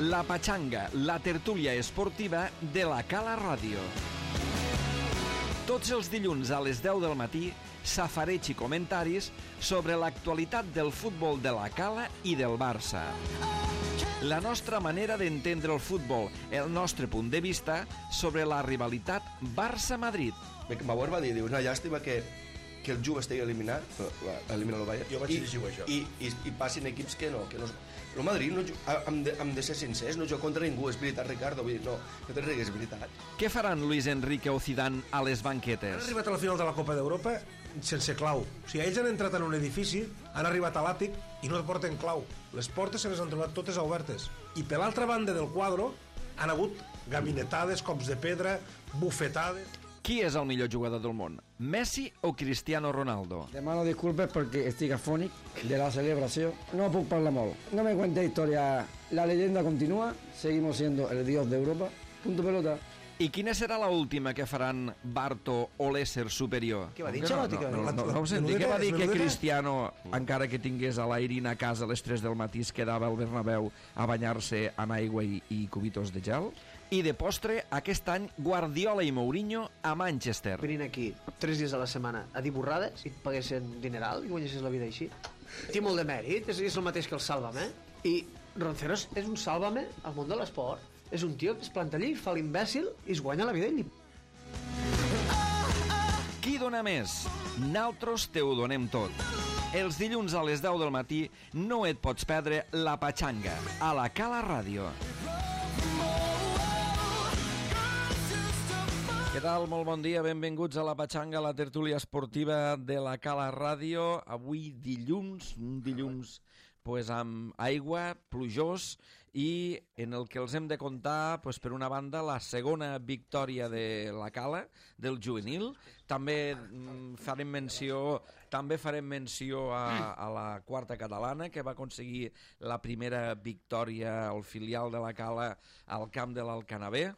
La Patxanga, la tertúlia esportiva de la Cala Ràdio. Tots els dilluns a les 10 del matí, safareig i comentaris sobre l'actualitat del futbol de la Cala i del Barça. La nostra manera d'entendre el futbol, el nostre punt de vista sobre la rivalitat Barça-Madrid. Bauer va dir, una llàstima que el Juve estigui eliminat, elimina el Bayern, jo vaig llegir això. I passin equips que no. El Madrid, hem de ser sincers, no juga contra ningú, és veritat, Ricardo, vull dir, no te rigues, és veritat. Què faran Luis Enrique o Zidane a les banquetes? Han arribat a la final de la Copa d'Europa sense clau. O sigui, ells han entrat en un edifici, han arribat a l'àtic i no porten clau. Les portes se les han trobat totes obertes. I per l'altra banda del quadre han hagut gabinetades, cops de pedra, bufetades... Qui és el millor jugador del món? Messi o Cristiano Ronaldo? Demano disculpes perquè estic afònic de la celebració. No puc parlar molt. No me cuente historia. La leyenda continúa. Seguimos siendo el dios de Europa. Punto pelota. I quina serà la última que faran Barto o l'ésser superior? Què va dir Ancelotti? No ho senti, què va dir que Cristiano, encara que tingués a l'Airín a casa a les 3 del matí, es quedava al Bernabéu a banyar-se en aigua i cubitos de gel? I de postre, aquest any, Guardiola i Mourinho a Manchester. Venint aquí 3 dies a la setmana a dir borrades i et paguessin dineral i guanyessis la vida així. Té molt de mèrit, és el mateix que el Sálvame. I Ronceros és un Sálvame al món de l'esport. És un tio que es planta allí, fa l'imbècil i es guanya la vida ell. Qui dona més? Naltros te ho donem tot. Els dilluns a les 10 del matí no et pots perdre La Patxanga a la Cala Ràdio. Què tal? Molt bon dia, benvinguts a La Patxanga, la tertúlia esportiva de la Cala Ràdio. Avui dilluns, un dilluns pues, amb aigua, plujós, i en el que els hem de contar, pues, per una banda, la segona victòria de la Cala, del juvenil. També farem menció a la quarta catalana, que va aconseguir la primera victòria al filial de la Cala al camp de l'Alcanavè.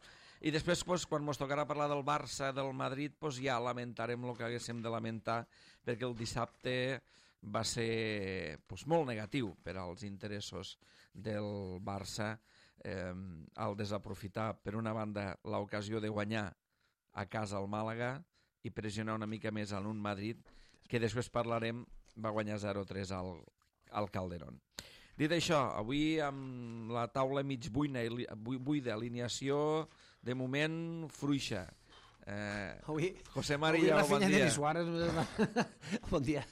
I després, pues, quan ens tocarà parlar del Barça, del Madrid, pues, ja lamentarem el que haguéssim de lamentar, perquè el dissabte va ser pues, molt negatiu per als interessos del Barça al desaprofitar, per una banda, l'ocasió de guanyar a casa al Màlaga i pressionar una mica més en un Madrid que després parlarem, va guanyar 0-3 al Calderón. Dit això, avui amb la taula mig buida, alineació de moment fluixa. José María, bon dia. Bon dia.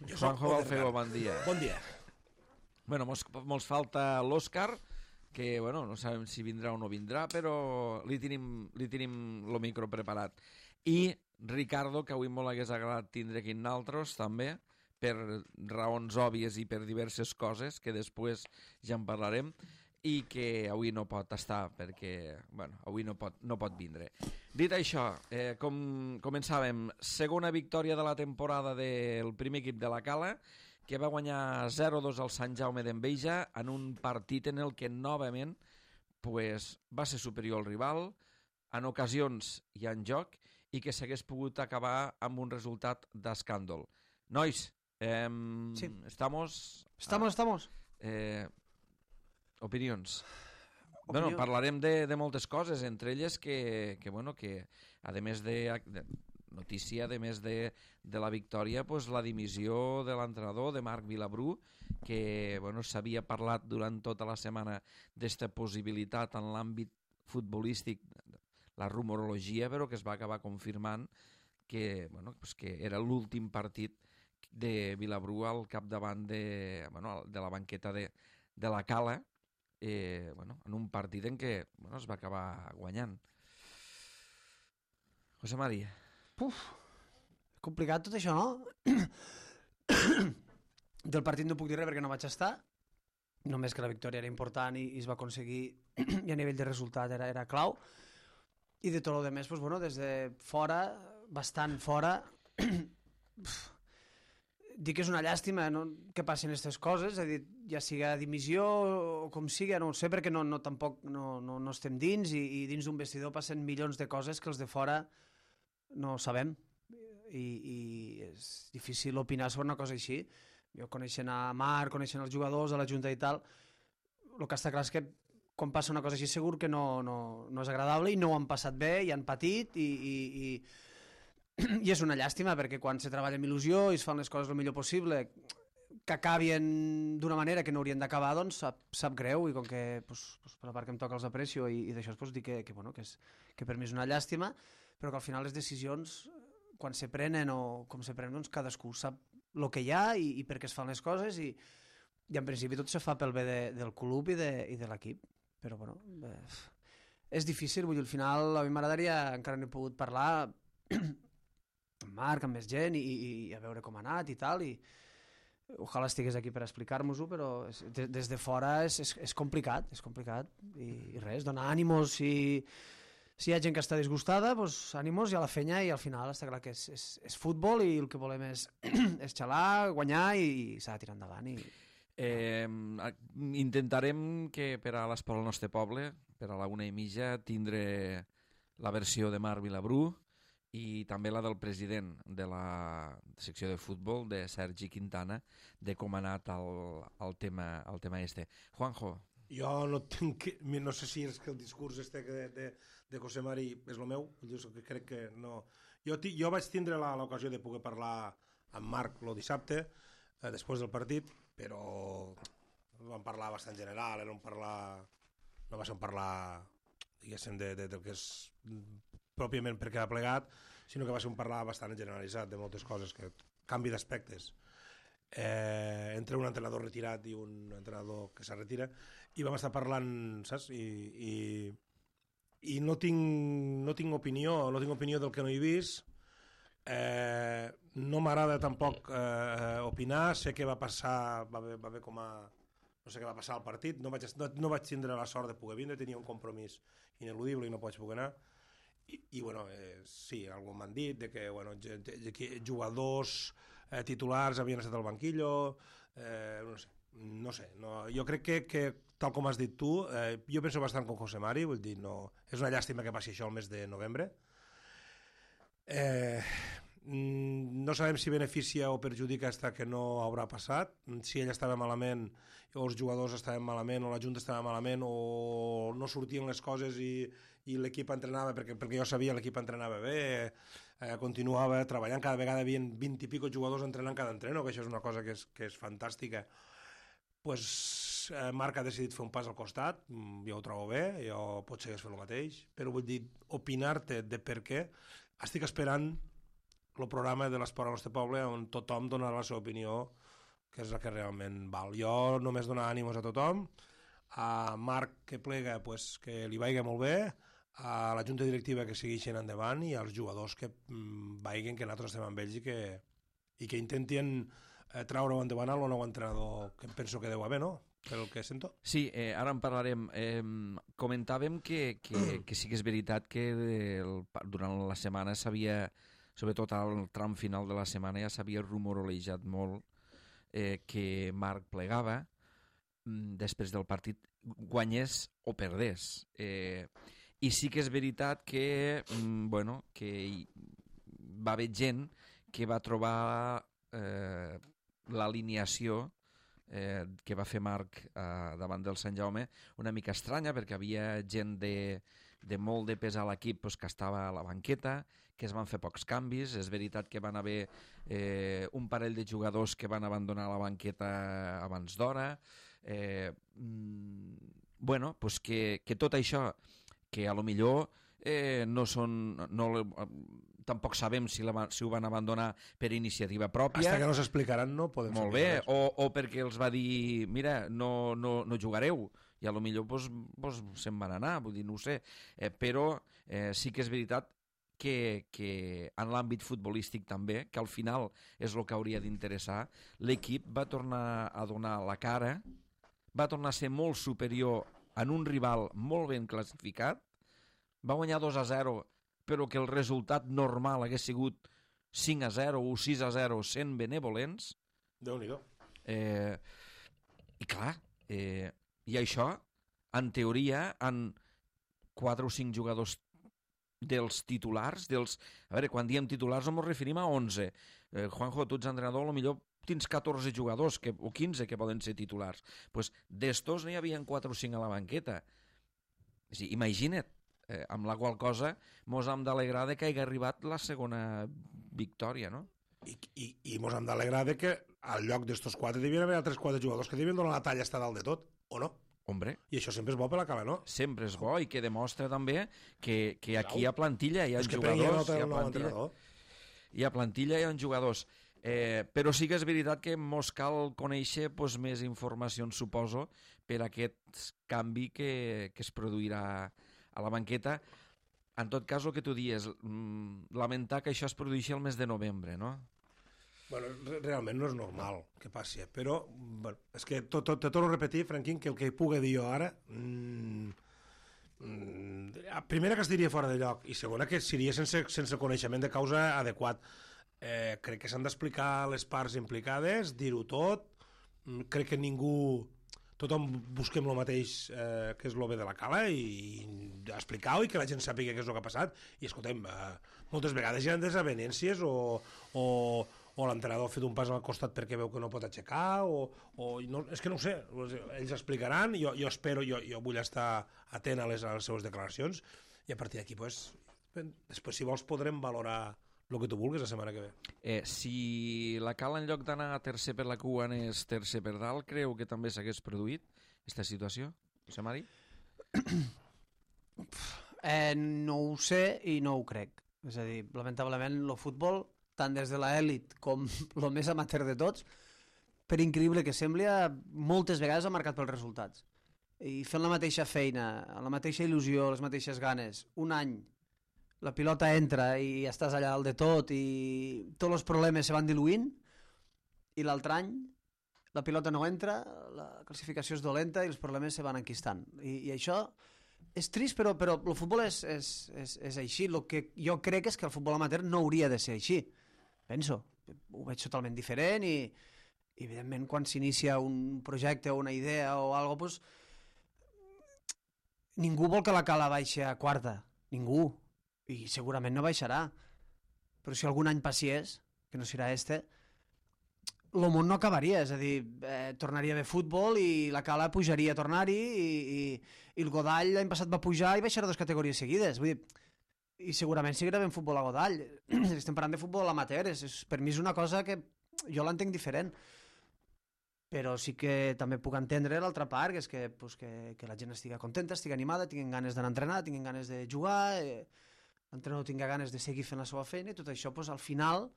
Juanjo Balfeo, bon dia. Bon dia. Bueno, mos falta l'Òscar, que bueno, no sabem si vindrà o no vindrà, però li tenim el micro preparat. I Ricardo, que avui molt hagués agradat tindre aquí naltros, també, per raons òbvies i per diverses coses, que després ja en parlarem, i que avui no pot estar perquè, bueno, avui no pot vindre. Dit això, com començàvem, segona victòria de la temporada del primer equip de la Cala, que va guanyar 0-2 al Sant Jaume d'Enveja en un partit en el que novament pues, va ser superior al rival, en ocasions i en joc, i que s'hagués pogut acabar amb un resultat d'escàndol. Nois, sí. Estamos. Opinions. Bueno, parlarem de moltes coses, entre elles que a més de notícia, a més de la victòria, pues, la dimissió de l'entrenador, de Marc Vilabrú, que s'havia parlat durant tota la setmana d'esta possibilitat en l'àmbit futbolístic, la rumorologia, però que es va acabar confirmant que era l'últim partit de Vilabrú al capdavant de la banqueta de la Cala, en un partit en què es va acabar guanyant. José María. Complicat tot això, no? Del partit no puc dir res perquè no vaig estar, només que la victòria era important i es va aconseguir, i a nivell de resultat era clau, i de tot el demés, des de fora, bastant fora, dic que és una llàstima que passin aquestes coses, és a dir, ja siga dimissió o com siga, no ho sé, perquè tampoc no estem dins, i dins d'un vestidor passen milions de coses que els de fora no sabem, i és difícil opinar sobre una cosa així. Jo coneixent a Marc, coneixent els jugadors, a la Junta i tal, el que està clar és que quan passa una cosa així segur que no és agradable i no ho han passat bé i han patit i és una llàstima perquè quan se treballa amb il·lusió i es fan les coses el millor possible que acabin d'una manera que no haurien d'acabar, doncs sap greu i com que per la part que em toca els aprecio i d'això pues, dic que per mi és una llàstima, però que al final les decisions quan se prenen o com se prenen, doncs cadascú sap el que hi ha i per què es fan les coses i en principi tot se fa pel bé del club i de l'equip. Però, bueno, és difícil, vull dir, al final a mi m'agradaria, encara no he pogut parlar amb Marc, amb més gent i a veure com ha anat i tal, i ojalà estigués aquí per explicar-nos-ho, però des de fora és complicat, i res, donar ànimos si hi ha gent que està disgustada, doncs ànimos i a la fenya i al final està clar que és futbol i el que volem és xalar, guanyar i s'ha de tirar endavant i... intentarem que per a l'Esport al nostre poble, per a la 1:30, tindre la versió de Marc Vilabrú i també la del president de la secció de futbol, de Sergi Quintana, de com ha anat el tema este. Juanjo. Jo no sé si és que el discurs de José Mari és el meu, crec que no. Jo vaig tindre l'ocasió de poder parlar amb Marc el dissabte, després del partit, però vam parlar bastant general, no va ser un parlar, diguéssim, del que és pròpiament per quedar plegat, sinó que va ser un parlar bastant generalitzat de moltes coses, canvi d'aspectes. Entre un entrenador retirat i un entrenador que se retira, i vam estar parlant, saps? I no tinc opinió del que no he vist. No m'agrada tampoc opinar, sé què va passar, va haver com a... no sé què va passar al partit, no vaig tindre la sort de poder vindre, tenia un compromís ineludible i no vaig poder anar, i bueno, sí, algú m'han dit de que jugadors titulars havien estat al banquillo, no sé, jo crec que tal com has dit tu, jo penso bastant com José Mari, vull dir, és una llàstima que passi això el mes de novembre. No sabem si beneficia o perjudica hasta que no haurà passat, si ell estava malament o els jugadors estaven malament o la Junta estava malament o no sortien les coses i l'equip entrenava, perquè jo sabia l'equip entrenava bé, continuava treballant, cada vegada hi havia 20 i pico jugadors entrenant cada entreno, que això és una cosa que és fantàstica. Pues Marc ha decidit fer un pas al costat, jo ho trobo bé, jo potser hagués fet el mateix, però vull dir, opinar-te de per què, estic esperant el programa de l'Esport al nostre poble on tothom donarà la seva opinió, que és la que realment val. Jo només donar ànimos a tothom, a Marc que plega pues, que li vagi molt bé, a la junta directiva que segueixin endavant i als jugadors que vagin, que nosaltres estem amb ells i que intentin treure-ho endavant al nou entrenador que penso que deu haver, no? Pel que sento. Sí, ara en parlarem. Comentàvem que sí que és veritat que durant la setmana s'havia, sobretot al tram final de la setmana, ja s'havia rumorolejat molt que Marc plegava després del partit, guanyés o perdés. I sí que és veritat que, que va haver gent que va trobar l'alineació que va fer Marc davant del Sant Jaume una mica estranya, perquè havia gent de molt de pes a l'equip que estava a la banqueta, que es van fer pocs canvis. És veritat que van haver un parell de jugadors que van abandonar la banqueta abans d'hora. Que tot això, que a lo millor tampoc sabem si ho van abandonar per iniciativa pròpia. Hasta que no s'explicaran no podem saber. Molt bé, o perquè els va dir mira, no jugareu, i a lo millor se'n van anar, vull dir, no ho sé, però sí que és veritat que en l'àmbit futbolístic també, que al final és el que hauria d'interessar, l'equip va tornar a donar la cara, va tornar a ser molt superior en un rival molt ben classificat, va guanyar 2-0, però que el resultat normal hagués sigut 5-0 o 6-0 sent benevolents. Déu-n'hi-do. I clar, i això, en teoria, en 4 o 5 jugadors dels titulars, a veure, quan diem titulars no ens referim a 11. Juanjo, tu ets entrenador, potser tens 14 jugadors o 15 que poden ser titulars. Pues d'estos n'hi havia 4 o 5 a la banqueta. Sí, imagina't, amb la qual cosa mos hem d'alegrar de que hagi arribat la segona victòria, no? I mos hem d'alegrar de que al lloc d'estos 4 devien haver altres 4 jugadors que devien donar la talla estar dalt de tot, o no? Hombre, I això sempre és bo per la cala, no? sempre és bo i que demostra també que aquí hi ha plantilla, hi ha És que prengui jugadors, nota hi ha el nou plantilla, entrenador. hi ha plantilla, hi ha jugadors. Però sí que és veritat que mos cal conèixer més informacions, suposo, per aquest canvi que es produirà a la banqueta. En tot cas, el que tu dies, lamentar que això es produeixi el mes de novembre, no? Bueno, realment no és normal que passi, però bueno, és que te torno a repetir, Franquín, que el que pugui dir jo ara primera que es diria fora de lloc i segona que seria sense coneixement de causa adequat. Crec que s'han d'explicar les parts implicades, dir-ho tot, crec que tothom busquem el mateix que és el bé de la cala i explicar-ho i que la gent sàpiga què és el que ha passat i escoltem, moltes vegades hi ha desavenències o l'entrenador ha fet un pas al costat perquè veu que no pot aixecar no, és que no ho sé, ells explicaran, jo espero, jo vull estar atent a les seues declaracions i a partir d'aquí després si vols podrem valorar el que tu vulguis la setmana que ve. Si la cala en lloc d'anar tercer per la cua anés tercer per dalt, creu que també s'hagués produït aquesta situació, José Mari? No ho sé i no ho crec. És a dir, lamentablement el futbol, tant des de l'elit com el més amateur de tots, per increïble que sembli, moltes vegades ha marcat pels resultats. I fent la mateixa feina, la mateixa il·lusió, les mateixes ganes, un any la pilota entra i estàs allà al de tot i tots els problemes se van diluint i l'altre any la pilota no entra, la classificació és dolenta i els problemes se van enquistant. I això és trist, però el futbol és així. El que jo crec és que el futbol amateur no hauria de ser així. Penso, ho veig totalment diferent i evidentment quan s'inicia un projecte o una idea o alguna cosa, ningú vol que la cala baixi a quarta, ningú. I segurament no baixarà, però si algun any passés, que no serà el món no acabaria, és a dir, tornaria a haver futbol i la cala pujaria a tornar-hi i el Godall l'any passat va pujar i baixarà 2 categories seguides, vull dir, i segurament seguirà havent futbol a Godall. Estem parlant de futbol amateur, per mi és una cosa que jo l'entenc diferent, però sí que també puc entendre l'altra part, que és que la gent estigui contenta, estigui animada, tinguin ganes d'anar a entrenar, tinguin ganes de jugar, l'entrenador tingui ganes de seguir fent la seva feina i tot això, al final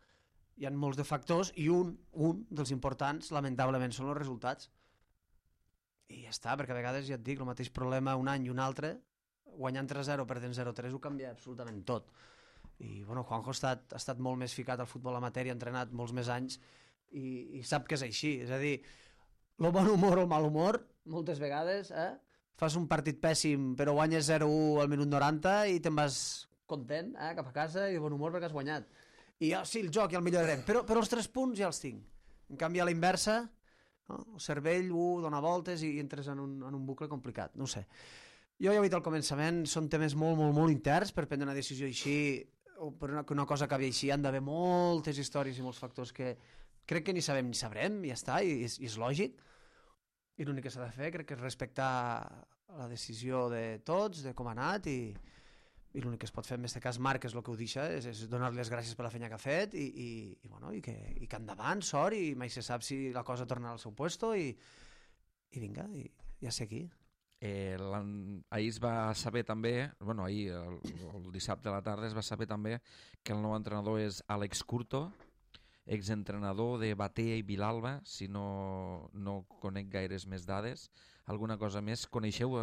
hi ha molts de factors i un dels importants, lamentablement, són els resultats. I ja està, perquè a vegades, ja et dic, el mateix problema un any i un altre, guanyant 3-0, perdent 0-3, ho canvia absolutament tot. I, bueno, Juanjo ha estat molt més ficat al futbol amateur i ha entrenat molts més anys i sap que és així. És a dir, el bon humor o el mal humor, moltes vegades, fas un partit pèssim, però guanyes 0-1 al minut 90 i te'n vas content, cap a casa i de bon humor perquè has guanyat. I sí, el joc ja el millorarem, però els 3 punts ja els tinc. En canvi, a la inversa, no? El cervell dona voltes i entres en un bucle complicat, no ho sé. Jo ja ho he dit al començament, són temes molt, molt, molt interns per prendre una decisió així, o per una cosa acabi així, han d'haver moltes històries i molts factors que crec que ni sabem ni sabrem, i ja està, i és lògic. I l'únic que s'ha de fer crec que és respectar la decisió de tots, de com ha anat, i l'únic que es pot fer en aquest cas Marc és el que ho deixa, és donar-li les gràcies per la feina que ha fet i que endavant, sort, i mai se sap si la cosa tornarà al seu puesto i vinga, ja sé aquí. Ahir es va saber també, ahir el dissabte a la tarda es va saber també que el nou entrenador és Àlex Curto, exentrenador de Batea i Vilalba, si no conec gaires més dades. Alguna cosa més? Coneixeu?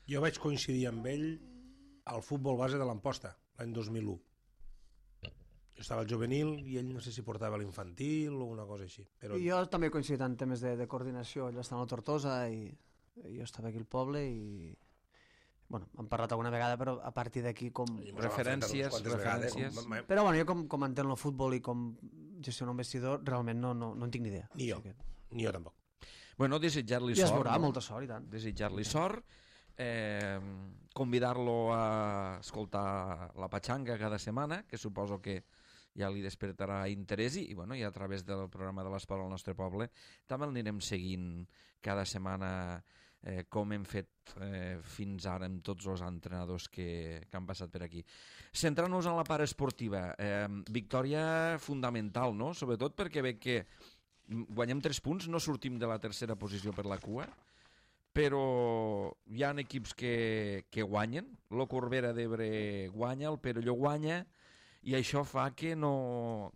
Jo vaig coincidir amb ell al futbol base de l'Amposta, l'any 2001. Jo estava al juvenil i ell no sé si portava l'infantil o una cosa així. Però... Jo també he coincidit en temes de coordinació, ell estava a la Tortosa i jo estava aquí al poble i... Bueno, hem parlat alguna vegada, però a partir d'aquí com... Referències. Però bueno, jo com entenc el futbol i com gestionar un vestidor, realment no en tinc ni idea. Ni jo, ni jo tampoc. Bueno, desitjar-li sort. Ja es veurà, molta sort i tant. Desitjar-li sort, convidar-lo a escoltar la Patxanga cada setmana, que suposo que ja li despertarà interès i a través del programa de l'Esport al nostre poble també el anirem seguint cada setmana com hem fet fins ara amb tots els entrenadors que han passat per aquí. Centrant-nos en la part esportiva, victòria fundamental, no? Sobretot perquè veig que guanyem 3 punts, no sortim de la tercera posició per la cua, però hi ha equips que guanyen. Lo Corbera d'Ebre guanya, el Perelló guanya, i això fa que no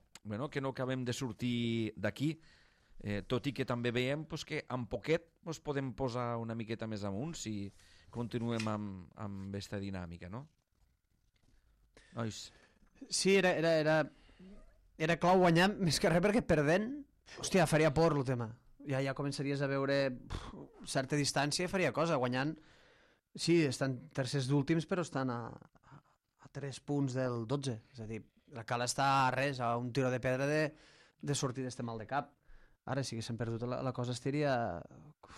acabem de sortir d'aquí, tot i que també veiem que amb poquet podem posar una miqueta més amunt si continuem amb aquesta dinàmica, no? Nois. Sí, era clau guanyar, més que res perquè perdent, hòstia, faria por el tema. Ja començaries a veure certa distància i faria cosa, guanyant. Sí, estan tercers d'últims, però estan a 3 punts del 12. És a dir, la Cala està a res, a un tiro de pedra de sortir d'este mal de cap. Ara, si haguéssim perdut la cosa estaria,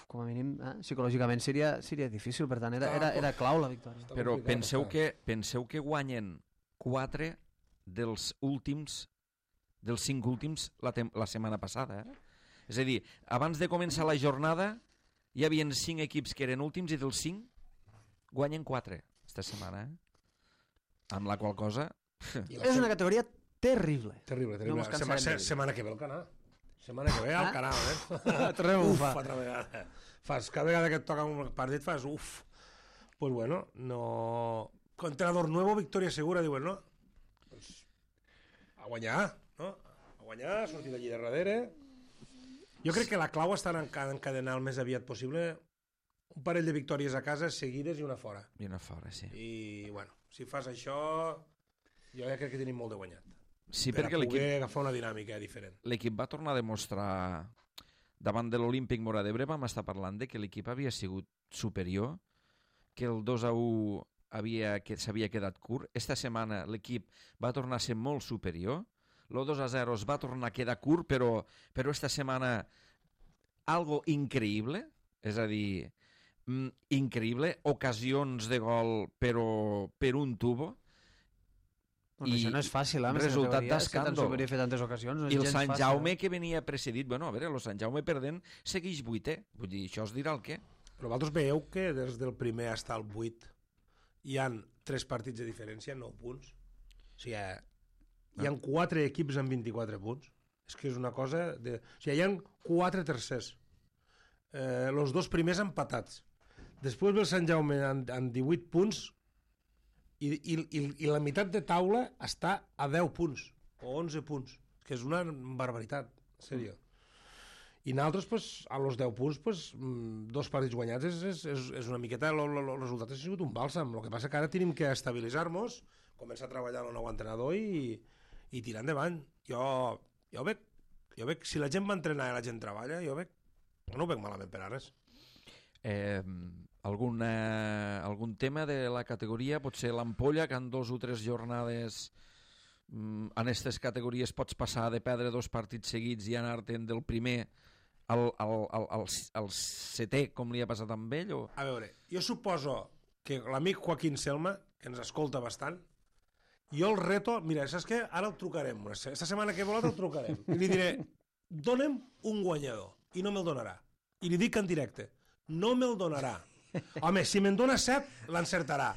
com a mínim, psicològicament seria difícil, per tant, era clau la victòria. Però penseu que guanyen 4 dels 5 últims la setmana passada, És a dir, abans de començar la jornada hi havia 5 equips que eren últims i dels 5 guanyen 4 esta setmana, amb la qual cosa... És una categoria terrible. Terrible. No setmana que ve al canal. Setmana que ve al canal, altra vegada. Cada vegada que et toca un partit fas uf. Pues bueno, no... Entrenador nuevo, victòria segura, diuen, no? Pues a guanyar, no? A guanyar, sortir d'allí de darrere. Jo crec que la clau està en encadenar el més aviat possible un parell de victòries a casa seguides i una fora. I una fora, sí. I, bueno, si fas això, jo ja crec que tenim molt de guanyat. Sí, per a poder agafar una dinàmica diferent. L'equip va tornar a demostrar davant de l'Olímpic Móra d'Ebre, vam estar parlant de que l'equip havia sigut superior, que el 2-1 s'havia quedat curt. Esta setmana l'equip va tornar a ser molt superior. El 2-0 es va tornar a quedar curt, però esta setmana algo increïble, és a dir, increïble, ocasions de gol però per un tubo. I això no és fàcil, resultat d'escàndol. Fer tantes ocasions, no és I el gens Sant fàcil. Jaume que venia precedit, bueno, a veure, el Sant Jaume perdent segueix 8è, vull dir, això es dirà el què? Però vosaltres veieu que des del primer fins al 8 hi han 3 partits de diferència, 9 punts. O sigui, hi han 4 equips amb 24 punts. És que és una cosa... O sigui, hi han 4 tercers. Els 2 primers empatats. Després ve el Sant Jaume amb 18 punts i la meitat de taula està a 10 punts o 11 punts, que és una barbaritat, en sèrio. I nosaltres, pues, a los 10 punts, pues, 2 partits guanyats és una miqueta... El resultat ha sigut un bàlsam. El que passa que ara tenim que estabilitzar-nos, començar a treballar el nou entrenador i tirar endavant. Jo veig, si la gent va entrenar i la gent treballa, jo no ho veig malament per a res. Algun tema de la categoria, potser l'Ampolla, que en 2 o 3 jornades en aquestes categories pots passar de perdre 2 partits seguits i anar-te'n del primer al 7è, com li ha passat amb ell? O... A veure, jo suposo que l'amic Joaquín Selma, que ens escolta bastant, jo el reto, mira, saps què? Ara el trucarem, esta setmana que volat el trucarem, i li diré, dona'm un guanyador, i no me'l donarà. I li dic en directe, no me'l donarà. Home, si me'n dona 7, l'encertarà.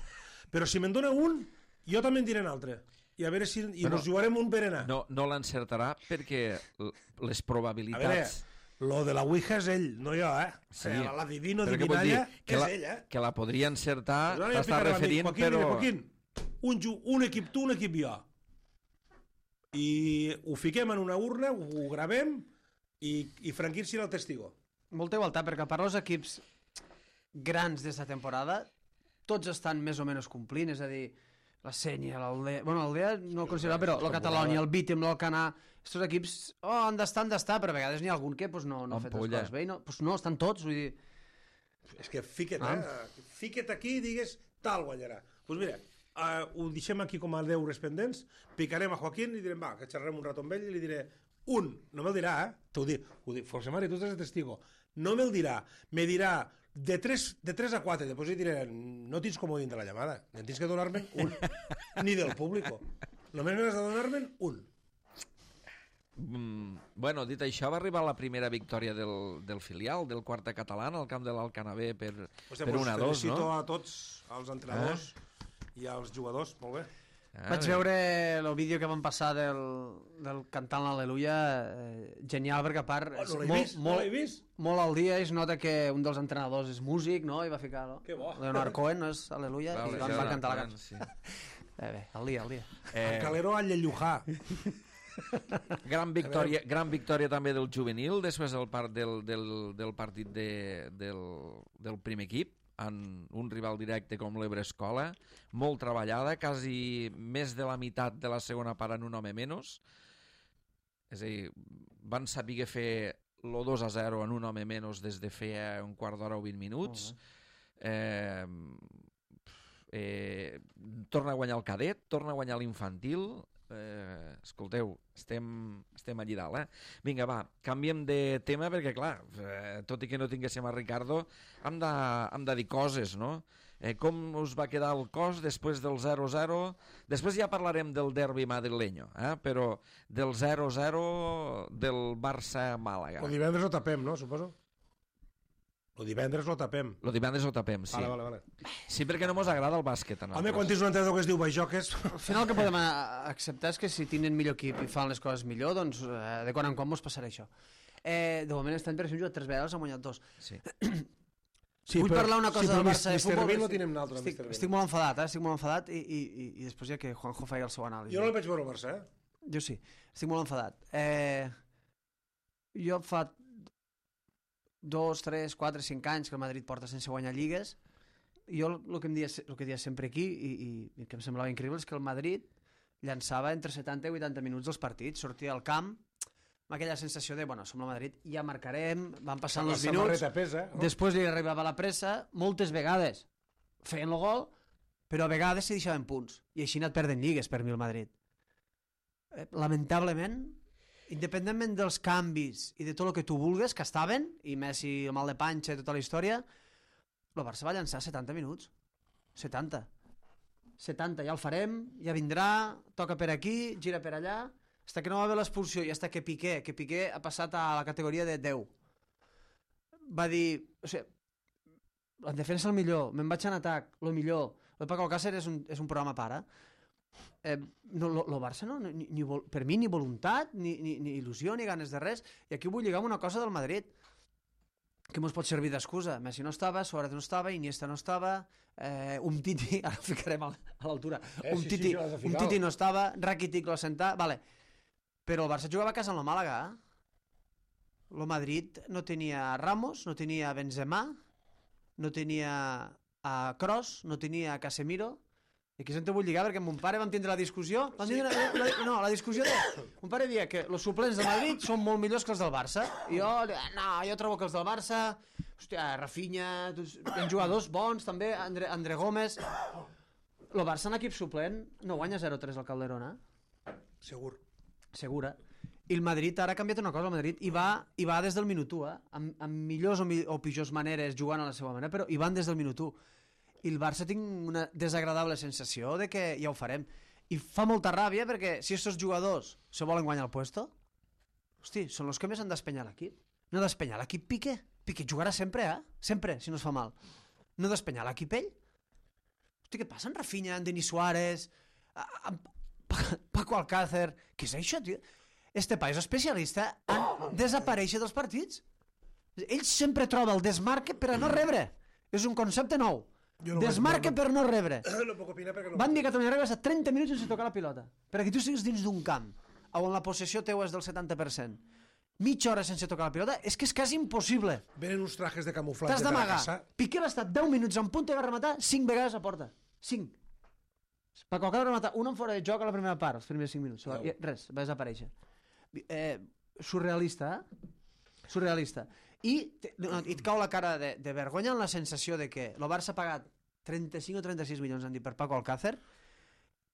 Però si me'n dona un, jo també en diré un altre. I a veure si... I ens jugarem un berenar. No l'encertarà perquè les probabilitats... A veure, lo de la Ouija és ell, no jo, Sí. La divino divinalla és ell, Que la podria encertar, no, t'està referint, Joaquín, però... Joaquín, un equip tu, un equip jo. I ho fiquem en una urna, ho gravem i Franquín serà el testigo. Molta igualtat, perquè a part els equips grans d'esta temporada tots estan més o menys complint, és a dir, la Sènia, l'Aldea... Bueno, l'Aldea no el considera, però la Catalònia, el Vítim, l'Alcanar... Estos equips han d'estar, però a vegades n'hi ha algun que no ha fet les coses bé. No, estan tots, vull dir... És que fica't aquí i digues tal guanyarà. Doncs mira, ho deixem aquí com a deures pendents, picarem a Joaquín i direm, va, que xerrem un rato amb ell i li diré no me'l dirà, t'ho dic, Forsemari, tu estàs de testigo, no me'l dirà, me dirà de 3 a 4, després li diré, no tens comodín de la llamada, no tens que donar-me'n un, ni del público, només m'has de donar-me'n un. Bueno, dit això, va arribar la primera victòria del filial, del Quarta Catalana, al camp de l'Alcanavè per 1-2, no? Felicito a tots, als entrenadors i als jugadors, molt bé. Vaig veure el vídeo que van passar del cantant l'Al·leluia, genial, perquè a part No l'he vist? molt al dia es nota que un dels entrenadors és músic, no? I va ficar, no? Que bo. Leonard Cohen, no és Al·leluia? I van cantar la cançó. Sí. Bé, al dia. El Calero a Llellujà. Gran victòria també del juvenil després del partit del primer equip en un rival directe com l'Ebre Escola, molt treballada, quasi més de la meitat de la segona part en un home menys, és a dir, van saber fer el 2-0 en un home menys des de feia un quart d'hora o 20 minuts. Torna a guanyar el cadet, torna a guanyar l'infantil. Escolteu, estem allí dalt, Vinga, va, canviem de tema perquè, clar, tot i que no tinguéssim a Ricardo, hem de dir coses, no? Com us va quedar el cos després del 0-0? Després ja parlarem del derbi madrileño, però del 0-0 del Barça-Màlaga. El divendres ho tapem, no, suposo? El divendres lo tapem. El divendres ho tapem, sí. Vale. Sí, perquè no mos agrada el bàsquet. Home, quan tens un entrenador que es diu Bajoques... Al final el que podem acceptar és que si tenen millor equip i fan les coses millor, doncs de quan en quan mos passarà això. De moment aquest any, per exemple, jugat 3 vegades, han guanyat 2. Sí. Vull parlar una cosa del Barça de futbol. Mr. Bean no tenim nosaltres, Mr. Bean. Estic molt enfadat, i després ja que Juanjo faci el seu anàlisi. Jo no el vaig veure al Barça, Jo sí, estic molt enfadat. Jo fa 2, 3, 4, 5 anys que el Madrid porta sense guanyar lligues. Jo el que dia sempre aquí i que em semblava increïble és que el Madrid llançava entre 70 i 80 minuts dels partits, sortia al camp amb aquella sensació de, bueno, som el Madrid, ja marcarem, van passant els minuts, després li arribava la pressa, moltes vegades feien el gol, però a vegades s'hi deixaven punts, i així anat perdent lligues per mi el Madrid. Lamentablement, independentment dels canvis i de tot el que tu vulgues, que estaven, i Messi, el mal de panxa i tota la història, el Barça va llançar 70 minuts. 70, ja el farem, ja vindrà, toca per aquí, gira per allà, fins que no va haver l'expulsió i fins que Piqué ha passat a la categoria de 10. Va dir, o sigui, en defensa el millor, me'n vaig en atac, el millor. El Paco Alcácer és un programa para. El Barça no, per mi ni voluntat, ni il·lusió, ni ganes de res. I aquí vull lligar amb una cosa del Madrid que mos pot servir d'excusa. Messi no estava, Suárez no estava, Iniesta no estava, Umtiti, ara el ficarem a l'altura, Umtiti no estava, Rakitic lo assentà, vale. Però el Barça jugava a casa amb el Màlaga. El Madrid no tenia Ramos, no tenia Benzema, no tenia a Kroos, no tenia a Casemiro. I aquí és on te vull lligar, perquè amb mon pare vam tindre la discussió. La discussió de... Mon pare dia que els suplents del Madrid són molt millors que els del Barça. I jo trobo que els del Barça... Hòstia, Rafinha, tenen jugadors bons, també, André Gómez... El Barça en equip suplent no guanya 0-3 al Calderón, Segura. I el Madrid ara ha canviat una cosa, el Madrid hi va des del minut 1, amb millors o pitjors maneres, jugant a la seva manera, però hi van des del minut 1. I el Barça tinc una desagradable sensació de que ja ho farem. I fa molta ràbia perquè si aquests jugadors se volen guanyar el puesto, hosti, són els que més han d'espenyar l'equip. No d'espenyar l'equip Piqué. Piqué jugarà sempre, Sempre, si no es fa mal. No d'espenyar l'equip ell. Hosti, què passa amb Rafinha, amb Denis Suárez, amb Paco Alcácer? Què és això, tio? Este país especialista en desaparèixer dels partits. Ell sempre troba el desmarque per a no rebre. És un concepte nou. Desmarque per no rebre. No puc opinar perquè no. Van dir que Catalunya Rebre 30 minuts sense tocar la pilota. Perquè tu estigues dins d'un camp on la possessió teu és del 70%. Mitja hora sense tocar la pilota és que és quasi impossible. Venen uns trajes de camuflatge. T'has d'amagar. Piqué va estar 10 minuts en punta i va rematar 5 vegades a porta. 5. Paco Alcácer va rematar un en fora de joc a la primera part, els primers 5 minuts. Res, va desaparèixer. Surrealista, Surrealista. I et cau la cara de vergonya en la sensació de que el Barça ha pagat 35 o 36 milions, han dit, per Paco Alcácer,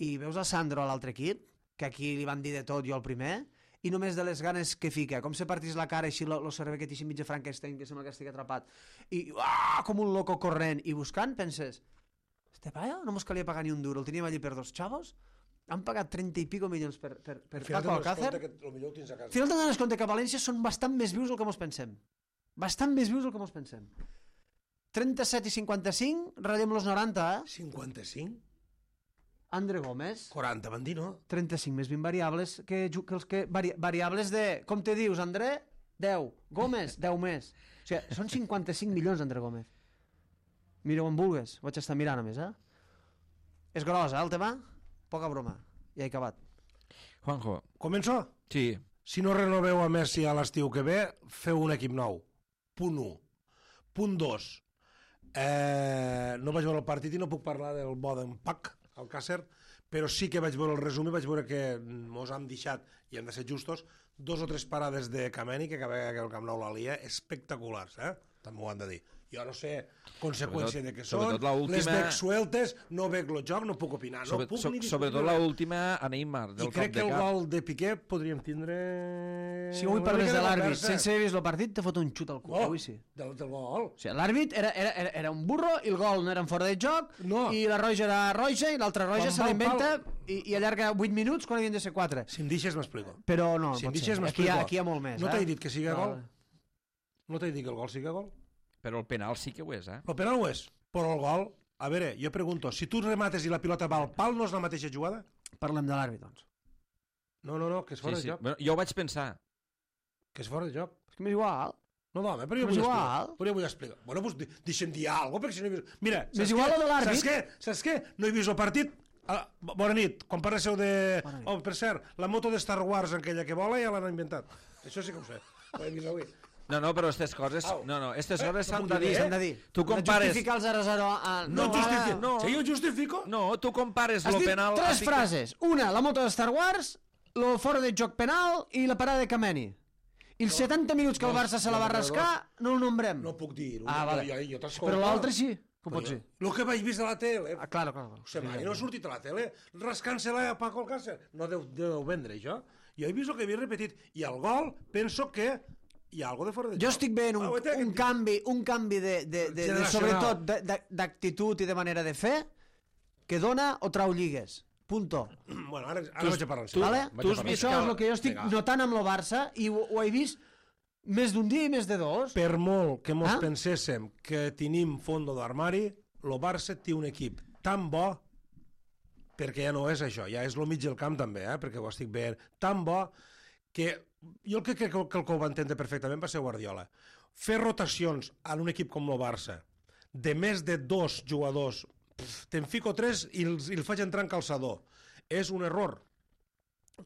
i veus a Sandro a l'altre equip, que aquí li van dir de tot, jo el primer, i només de les ganes que fica, com se partís la cara així, el cervell que t'hi mitja Frankenstein, que sembla que estigui atrapat, i com un loco corrent, i buscant, penses, este paio no mos calia pagar ni un duro, el teníem allí per 2 xavos, Han pagat 30 i pico milions per Al final Paco Alcácer. que el millor ho tens a casa. Al final te'n dones compte que a València són bastant més vius del que mos pensem. Bastant més vius del que mos pensem. 37 i 55, ratllem los 90, 55? André Gómez. 40, van dir, no? 35 més 20 variables que els que... Variables de... Com te dius, André? 10. Gómez, 10 més. O sigui, són 55 milions, André Gómez. Mira on vulgues. Vaig estar mirant, a més, És gros, el tema? Poca broma. Ja he acabat. Juanjo. Començo? Sí. Si no renoveu a Messi a l'estiu que ve, feu un equip nou. Punt 1. Punt 2. No vaig veure el partit i no puc parlar del bo d'en Pac, al Càcer, però sí que vaig veure el resum i vaig veure que mos han deixat, i hem de ser justos, 2 o 3 parades de Kameni que el Camp Nou la lia espectaculars, també ho han de dir. Jo no sé conseqüència de què són, les veig sueltes, no veig el joc, no puc opinar, no puc ni discutir. Sobretot l'última a Neymar, del I crec que el gol de Piqué podríem tindre... Si avui parles de l'àrbit sense haver vist el partit, te fot un xut al cul, avui sí. Del gol. O sigui, l'àrbit era un burro i el gol no era en fora de joc, i la roja era roja i l'altra roja se l'inventa i allarga 8 minuts quan havien de ser 4. Si em deixes m'explico. Però no, si em pot deixes, ser. Aquí hi ha molt més. No t'he dit que sigui gol? No t'he dit que el gol sigui gol? Però el penal sí que ho és, El penal ho és, però el gol... A veure, jo pregunto, si tu remates i la pilota va al pal, no és la mateixa jugada? Parlem de l'àrbit, doncs. No, que és fora de joc. Bueno, jo ho vaig pensar. Que és fora de joc. És que m'és igual. No, home, però jo vull explicar. Bueno, doncs deixa'm dir alguna cosa, perquè si no he vist... Mira, m'és igual de l'àrbit. Saps què? No he vist el partit. Bona nit. Quan parleu de... Oh, per cert, la moto de Star Wars, aquella que vola, ja l'han inventat. Això sí que ho sé. Ho he vist avui. No, però aquestes coses... No, aquestes coses s'han de dir. S'han de dir. Tu compares... Justificar el 0-0... No justifico. Si jo justifico... No, tu compares el penal... Has dit 3 frases. Una, la moto de Star Wars, lo fora de joc penal i la parada de Kameni. I els 70 minuts que el Barça se la va rascar, no el nombrem. No puc dir-ho. Vale. Però l'altre sí. Com pot ser? El que vaig vist a la tele. Clar. Mai no ha sortit a la tele. Rascant-se-la a Paco Alcácer. No deu vendre, això. Jo he vist el que havia repetit. I el gol, penso que hi ha alguna de fora de joc. Jo estic veient un canvi de sobretot d'actitud i de manera de fer que dona o trau lligues. Punto. Bueno, ara vaig a parlar. Això és el que jo estic notant amb el Barça i ho he vist més d'un dia i més de 2. Per molt que mos penséssim que tenim fondo d'armari, el Barça té un equip tan bo, perquè ja no és això, ja és el mig del camp també, perquè ho estic veient, tan bo que jo crec que el que ho va entendre perfectament va ser Guardiola. Fer rotacions en un equip com el Barça de més de 2 jugadors, te'n fico 3 i el faig entrar en calçador, és un error.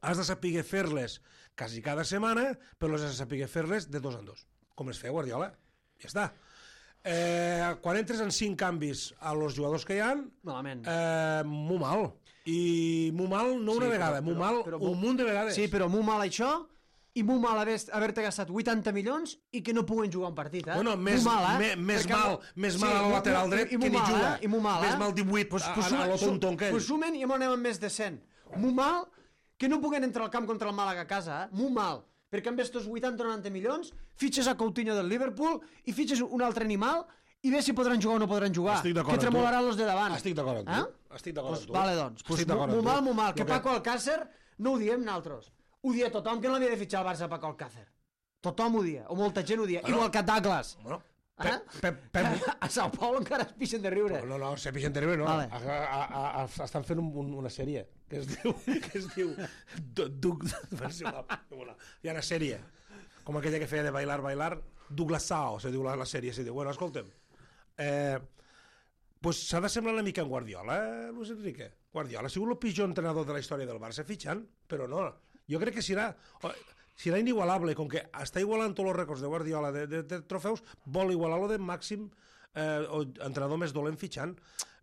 Has de saber fer-les quasi cada setmana, però has de saber fer-les de 2 en 2, com es feia Guardiola. Ja està. Quan entres en 5 canvis a los jugadors que hi ha, molt mal. I molt mal no una vegada, molt mal un munt de vegades. Sí, però molt mal això i molt mal haver-te gastat 80 milions i que no puguen jugar un partit, Bueno, més mal al lateral dret que ni juga. Més mal 18 a lo tonton que ell. Pues sumen i anem amb més de 100. Molt mal que no puguen entrar al camp contra el Màlaga a casa, molt mal. Perquè amb estos 80 o 90 milions fitxes a Coutinho del Liverpool i fitxes un altre animal i ve si podran jugar o no podran jugar. Que tremolaran los de davant. Estic d'acord amb tu. Vale, doncs. Molt mal. Que Paco Alcácer no ho diem nosaltres. Ho dia tothom que no l'havia de fitxar al Barça Paco Alcácer. Tothom ho dia, o molta gent ho dia. Igual que Douglas. A Sao Paulo encara es pixen de riure. No, se pixen de riure, no. Estan fent una sèrie que es diu hi ha una sèrie com aquella que feia de Bailar, Douglas Sao, se diu la sèrie. Bueno, escolta'm, pues s'ha de semblar una mica en Guardiola, Luis Enrique. Guardiola ha sigut el pitjor entrenador de la història del Barça fitxant, però no. Jo crec que serà inigualable, com que està igualant tots els rècords de Guardiola de trofeus, vol igualar-lo de màxim entrenador més dolent fitxant.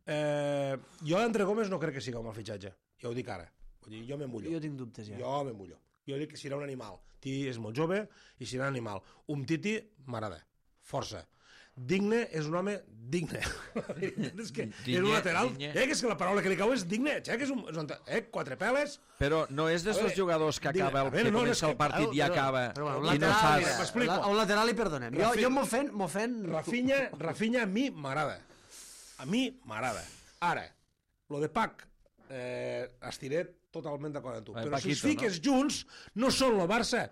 Jo André Gómez no crec que sigui un mal fitxatge, ja ho dic ara. Jo me mullo. Jo tinc dubtes, ja. Jo me mullo. Jo dic que serà un animal. Titi és molt jove i serà un animal. Titi m'agrada. Força. Digne és un home digne. És que és un lateral. És que la paraula que li cau és digne. Que és un 4 peles. Però no és d'aquests jugadors que acaba que comença el partit i acaba i no saps. A un lateral li perdonem. Jo m'ho fent... Rafinha a mi m'agrada. A mi m'agrada. Ara, lo de Pac, estiret, totalment d'acord amb tu. El Però si Paquito, els fiques junts, no són el Barça,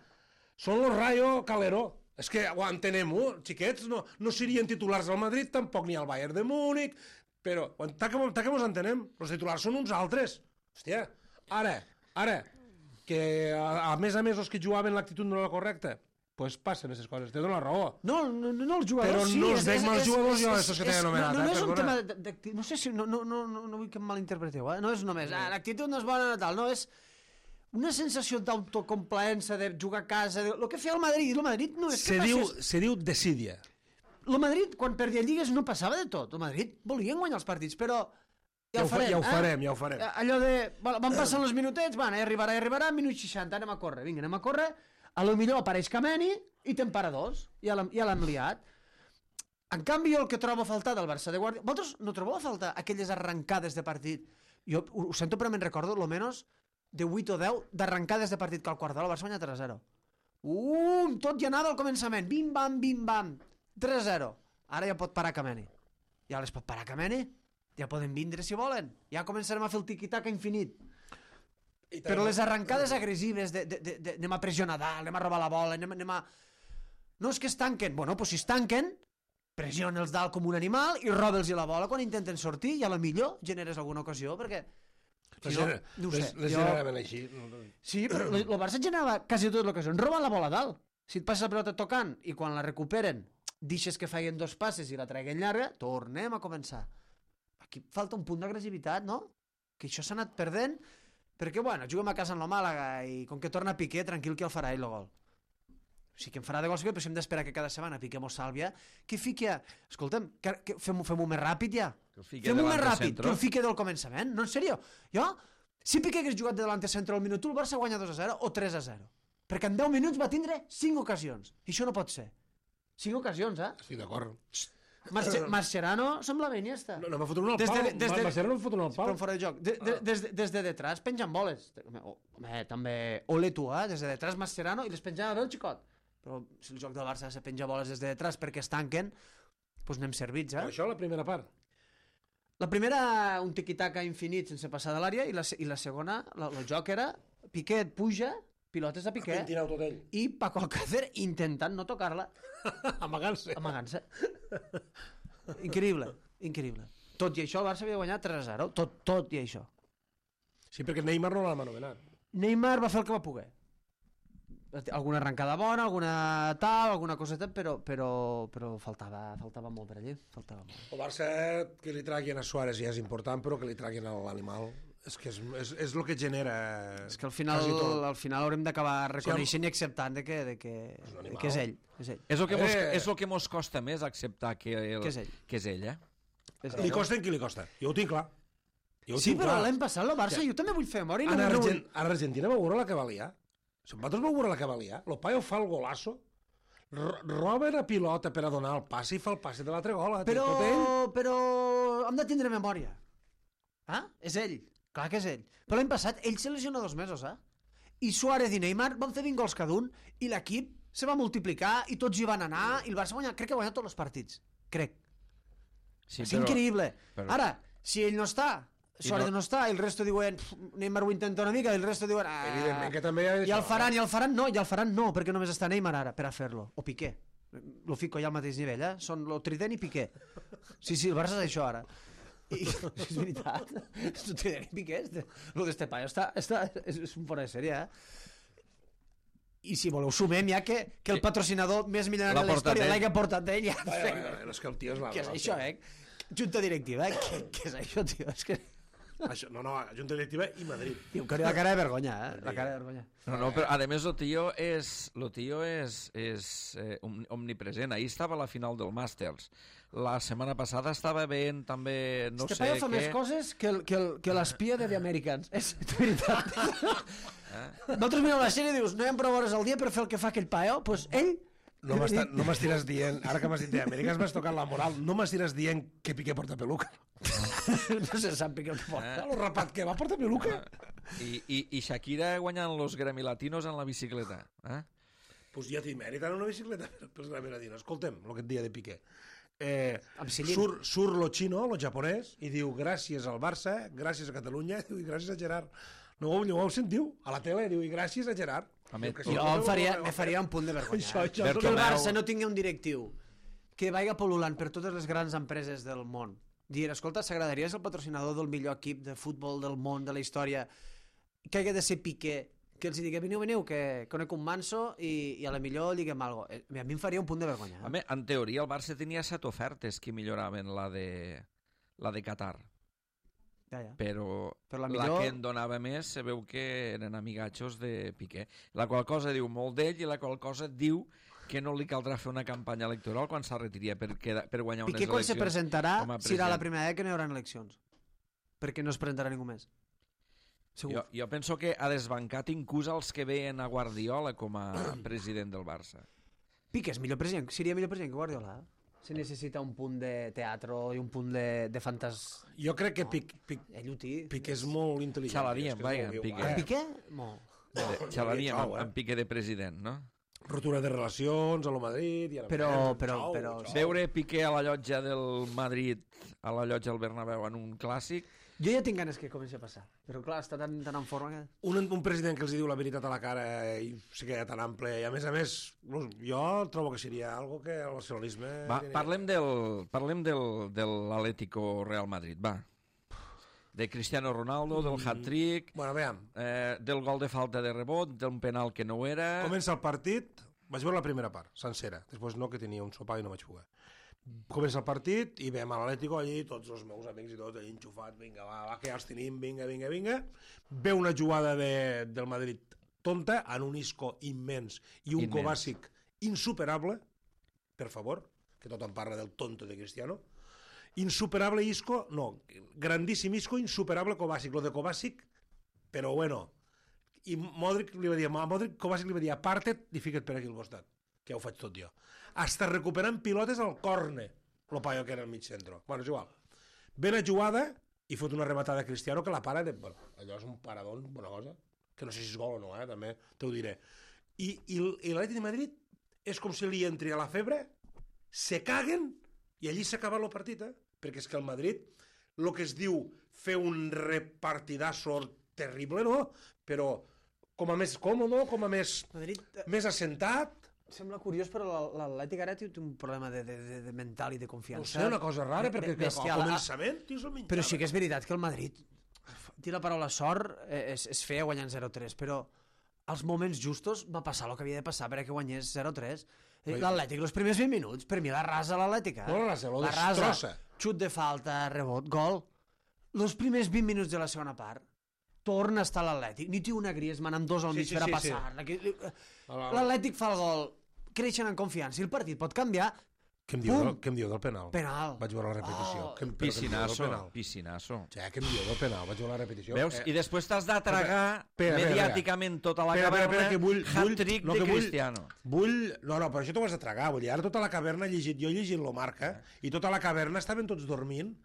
són el Rayo Calero. És que ho entenem-ho, xiquets, no serien titulars del Madrid, tampoc ni al Bayern de Múnich, però tant que mos entenem, els titulars són uns altres. Hòstia, ara, que a més els que jugaven l'actitud no era correcta, pues passen aquestes coses, te dono la raó. No els jugadors, però sí. no els veig mals jugadors jo, estos que t'he anomenat. No és un tema d'actitud, no sé si, no vull que em malinterpreteu, no és només, l'actitud no és bona, tal, no, és una sensació d'autocomplaença, de jugar a casa, el que feia el Madrid no és que passés... Se diu desídia. El Madrid, quan perdia lligues, no passava de tot, el Madrid volien guanyar els partits, però ja ho farem. Allò de, van passant els minutets, arribarà, minut 60, anem a córrer, a lo millor apareix Kameni i t'empara dos, ja l'han liat. En canvi, jo el que trobo a faltar del Barça de Guardiola... Vosaltres no trobeu a faltar aquelles arrencades de partit? Jo ho sento, però me'n recordo, almenys, de 8 o 10 d'arrencades de partit que el Guardiola el Barça guanya 3-0. Tot ja anava al començament, bim-bam, 3-0. Ara ja pot parar Kameni. Ja les pot parar Kameni, ja poden vindre si volen. Ja començarem a fer el tiqui-taca infinit. Però les arrencades agressives de anem a pressionar dalt, anem a robar la bola, anem a... No és que es tanquen. Bueno, doncs si es tanquen, pressiona'ls dalt com un animal i roba'ls la bola quan intenten sortir i a lo millor generes alguna ocasió, perquè... Si no ho sé. Les generaven així. Sí, però el Barça generava quasi totes les ocasions. Roba la bola dalt. Si et passes la pelota tocant i quan la recuperen deixes que feien 2 passes i la traguin llarga, tornem a començar. Aquí falta un punt d'agressivitat, no? Que això s'ha anat perdent... Perquè, bueno, juguem a casa en la Màlaga i com que torna Piqué, tranquil que el farà ell el gol. O sigui, que em farà de gol, però si hem d'esperar que cada setmana Piqué mos salvi, que fiqui a... Escolta'm, fem-ho més ràpid ja. Fem-ho més ràpid, que el fiqui del començament. No, en sèrio. Jo, si Piqué hagués jugat de delante centre al minut 1, el Barça guanya 2-0 o 3-0. Perquè en 10 minuts va tindre 5 ocasions. I això no pot ser. 5 ocasions, Estic d'acord. Mascherano sembla Iniesta. No m'ha fotut un al pal. Mascherano m'ha fotut un al pal. Però fora de joc. Des de detrás pengen boles. Home, també Oletu, des de detrás Mascherano i les penjava bé el xicot. Però si el joc del Barça se penja boles des de detrás perquè es tanquen, doncs anem servits, Això la primera part. La primera, un tiqui-taca infinit sense passar de l'àrea, i la segona, el joc era Piqué puja, pilotes a Piqué, i Paco Alcácer intentant no tocar-la. Amagant-se. Increïble. Tot i això el Barça havia guanyat 3-0, tot i això. Sí, perquè Neymar no l'ha anomenat. Neymar va fer el que va poder. Alguna arrencada bona, alguna coseta, però faltava molt per allí. El Barça, que li traguin a Suárez ja és important, però que li traguin a l'animal és que és el que genera... És que al final haurem d'acabar reconeixent i acceptant que és ell. És el que mos costa més acceptar que és ell, Li costa en qui li costa. Jo ho tinc clar. Sí, però l'any passat el Barça, jo també vull fer memòria. A l'Argentina vau veure la que valia. Si vosaltres vau veure la que valia, el paio fa el golasso, roba la pilota per a donar el passe i fa el passe de l'altre gol. Però hem de tindre memòria. És ell. Clar que és ell. Però l'any passat ell se lesiona 2 mesos, I Suárez i Neymar van fer 20 gols cada un i l'equip se va multiplicar i tots hi van anar i el Barça crec que ha guanyat tots els partits. Crec. Sí, és increïble. Ara, si ell no està, Suárez no està, i el resto diuen Neymar ho intenta una mica, i el resto diuen evidentment que també i el faran no, perquè només està Neymar ara per a fer-lo, o Piqué. Lo fico ja al mateix nivell, són lo Trident i Piqué. Sí, el Barça és això ara. I és veritat, lo Trident i Piqué, lo d'este paio és un fora de sèrie, I si voleu sumem ja que el patrocinador més millor de la història l'hagi portat ell. És que el tio és la... Què és això, Junta directiva, què és això, tio? És que... No, Junta directiva i Madrid. Tio, que la cara de vergonya, La cara de vergonya. No, però a més el tio és omnipresent. Ahir estava a la final del Masters. La setmana passada estava veient també no sé què... Este paio fa més coses que l'espia de The Americans. És veritat. Nosaltres mireu la sèrie i dius, no hi ha prou hores al dia per fer el que fa aquell paio? Doncs ell... No m'estiràs dient, ara que m'has dit d'Amèrica, m'has tocat la moral, no m'estiràs dient que Piqué porta peluca. No se sap Piqué el que porta. El rapat que va porta peluca. I Shakira guanyant los Grammy Latinos en la bicicleta. Pues ja té mèrit en una bicicleta pels Grammy Latinos. Escolta'm, el que et deia de Piqué. Surt lo xino, lo japonès, i diu gràcies al Barça, gràcies a Catalunya i gràcies a Gerard. No ho sentiu? A la tele, diu, i gràcies a Gerard. Home, Jo me faria un punt de vergonya. Això, Que el Bartomeu. Barça no tingui un directiu que vagi pol·lulant per totes les grans empreses del món. Dir, escolta, s'agradaria ser el patrocinador del millor equip de futbol del món, de la història, que hagi de ser Piqué, que els digui, veniu, que conec un manso i a la millor lliguem alguna cosa. A mi em faria un punt de vergonya. Home, en teoria el Barça tenia 7 ofertes que milloraven la de Qatar, Ja. però Però la la millor- que en donava més se veu que eren amigatxos de Piqué. La qual cosa diu molt d'ell i la qual cosa diu que no li caldrà fer una campanya electoral quan se'l retiria per guanyar unes Piqué quan se eleccions. presentarà com a serà la president. primera vegada que no hi haurà eleccions. Perquè no es presentarà ningú més. Segur. Jo penso que ha desbancat inclús els que veien a Guardiola com a president del Barça. Piqué és millor president, seria millor president que Guardiola. Se necessita un punt de teatre i un punt de fantas... Jo crec que Ell ho té. Piqué és molt intel·ligent. Xalaríem, És que és vaja, molt viu, Piqué. eh? Piqué? Molt. Xalaríem Xau, amb Piqué de president, no? Rotura de relacions a lo Madrid... I ara Però- xau, però- xau. Veure Piqué a la llotja del Madrid, a la llotja del Bernabéu en un clàssic, Jo ja tinc ganes que comenci a passar, però clar, està tan en forma que... Un president que els diu la veritat a la cara i se queda tan ample i a més jo trobo que seria algo que el nacionalisme... va, parlem de l'Atlético Real Madrid, va. De Cristiano Ronaldo, del hat-trick, Bueno, veiem, del gol de falta de rebot, d'un penal que no ho era... comença el partit, vaig veure la primera part, sencera, després no, que tenia un sopar i no vaig poder. Comença el partit i veiem a l'Atlético allí, tots els meus amics i tots allí enxufats, vinga, va, que ja els tenim, vinga. Ve una jugada del Madrid tonta, en un Isco immens i un Immens. Kovacic insuperable, per favor, que tothom parla del tonto de Cristiano, insuperable Isco, no, grandíssim Isco, insuperable Kovacic, lo de Kovacic, però bueno, i Modric li va dir, Kovacic li va dir, aparta't i fica't per aquí al costat, que ja ho faig tot jo. Hasta recuperant pilotes al córner, lo paio que era al mig centre. Bueno, és igual. Ve la jugada i fot una rematada a Cristiano que la para de... Bueno, allò és un paradón, bona cosa, que no sé si és gol o no, també te ho diré. I l'Atlètic de Madrid és com si li entri a la febre, se caguen i allí s'acaba el partit, perquè és que el Madrid, el que es diu fer un repartidasso terrible, no? Però com a més còmode, com a més assentat. Sembla curiós, però l'Atlètic ara té un problema de mental i de No confiança. sé, una cosa rara, perquè al bestial. començament tens el mitjà. Però sí que és veritat que el Madrid, dir la paraula sort, és feia guanyant 0-3, però als moments justos va passar el que havia de passar perquè guanyés 0-3. L'Atlètic, els primers 20 minuts, per mi la rasa l'Atlètic. No, la destrossa. Xut de falta, rebot, gol. Els primers 20 minuts de la segona part, torna a estar l'Atlètic. Ni té una Griezmann amb dos al mig per a passar. L'Atlètic fa el gol, creixen en confiança i el partit pot canviar. Què em diu del penal? Penal. Vaig veure la repetició. Oh. Piscinasso. Ja, què em diu del penal? Vaig veure la repetició. Veus? I després t'has de tragar mediàticament tota la Espera, caverna que vull- hat-trick no, de que vull- Cristiano. No, però això t'ho has de tragar. Vull dir, ara tota la caverna jo he llegit lo Marca, i tota la caverna estaven tots dormint.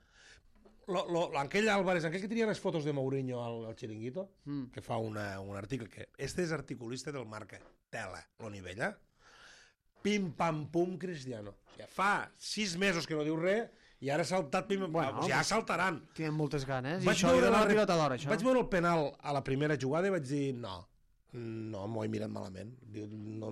Aquell Álvarez, aquell que tenia les fotos de Mourinho al Chiringuito, que fa un article, que este és articulista del Marca, tela, lo nivella, pim, pam, pum, Cristiano. O sigui, fa 6 mesos que no diu res, i ara ha saltat, ja saltaran. Tenen moltes ganes. I Vaig això veure era la la pilota d'or, això. Vaig veure el penal a la primera jugada i vaig dir, no, m'ho he mirat malament. Diu, no,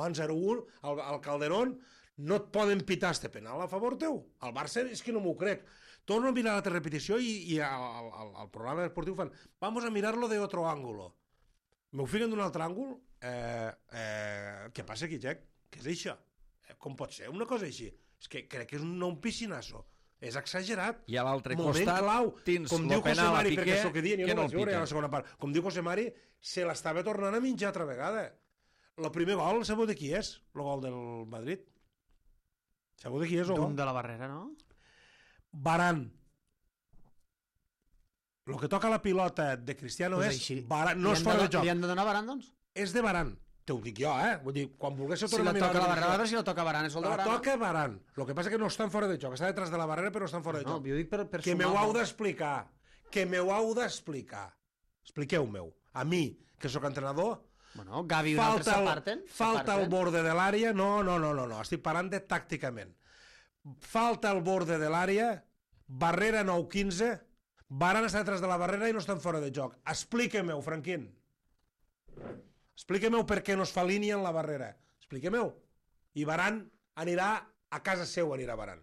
en 0-1, al Calderón, no et poden pitar este penal a favor teu. Al Barça és que no m'ho crec. Torno a mirar la repetició i al programa esportiu fan, vamos a mirarlo de otro ángulo. M'ho fiquen d'un altre àngul? Què passa aquí, Jack? Què és això? Com pot ser una cosa així? És que crec que és un piscinasso. És exagerat. I a l'altre Moment costat clau. tens Com el diu José penal a Mari, Piqué, perquè això que dient, jo que no no vaig el veure a la pica. segona part. Com diu José Mari, se l'estava tornant a menjar altra vegada. El primer gol, sabeu de qui és? El gol del Madrid. Sabeu de qui és el gol? D'un de la barrera, no? Varane. El que toca la pilota de Cristiano Pues és així. Varane. No és fora de joc. Li han de donar Varane, doncs? És de Varane. Te ho dic jo, Vull dir, quan volguéssiu Si tornar la a mirar toca la repetició, barrera, a veure si la toca Varane, és el de la Varane. toca Varane. El que passa que no estan fora de joc. Està detrás de la barrera, però estan fora de No, joc. jo dic per Que sumar. m'ho heu d'explicar. Que m'ho heu d'explicar. Expliqueu-m'ho. A mi, que sóc entrenador, Bueno, Gavi i un altre s'aparten. falta al borde de l'àrea. No. Estic parlant de tàcticament. Falta al borde de l'àrea, barrera 9-15, Varane està detrás de la barrera i no estan fora de joc. Expliquem-ho, Franquín. Expliquem-ho per què no es fa línia en la barrera. Expliquem-ho. I Varane anirà a casa seu, anirà Varane.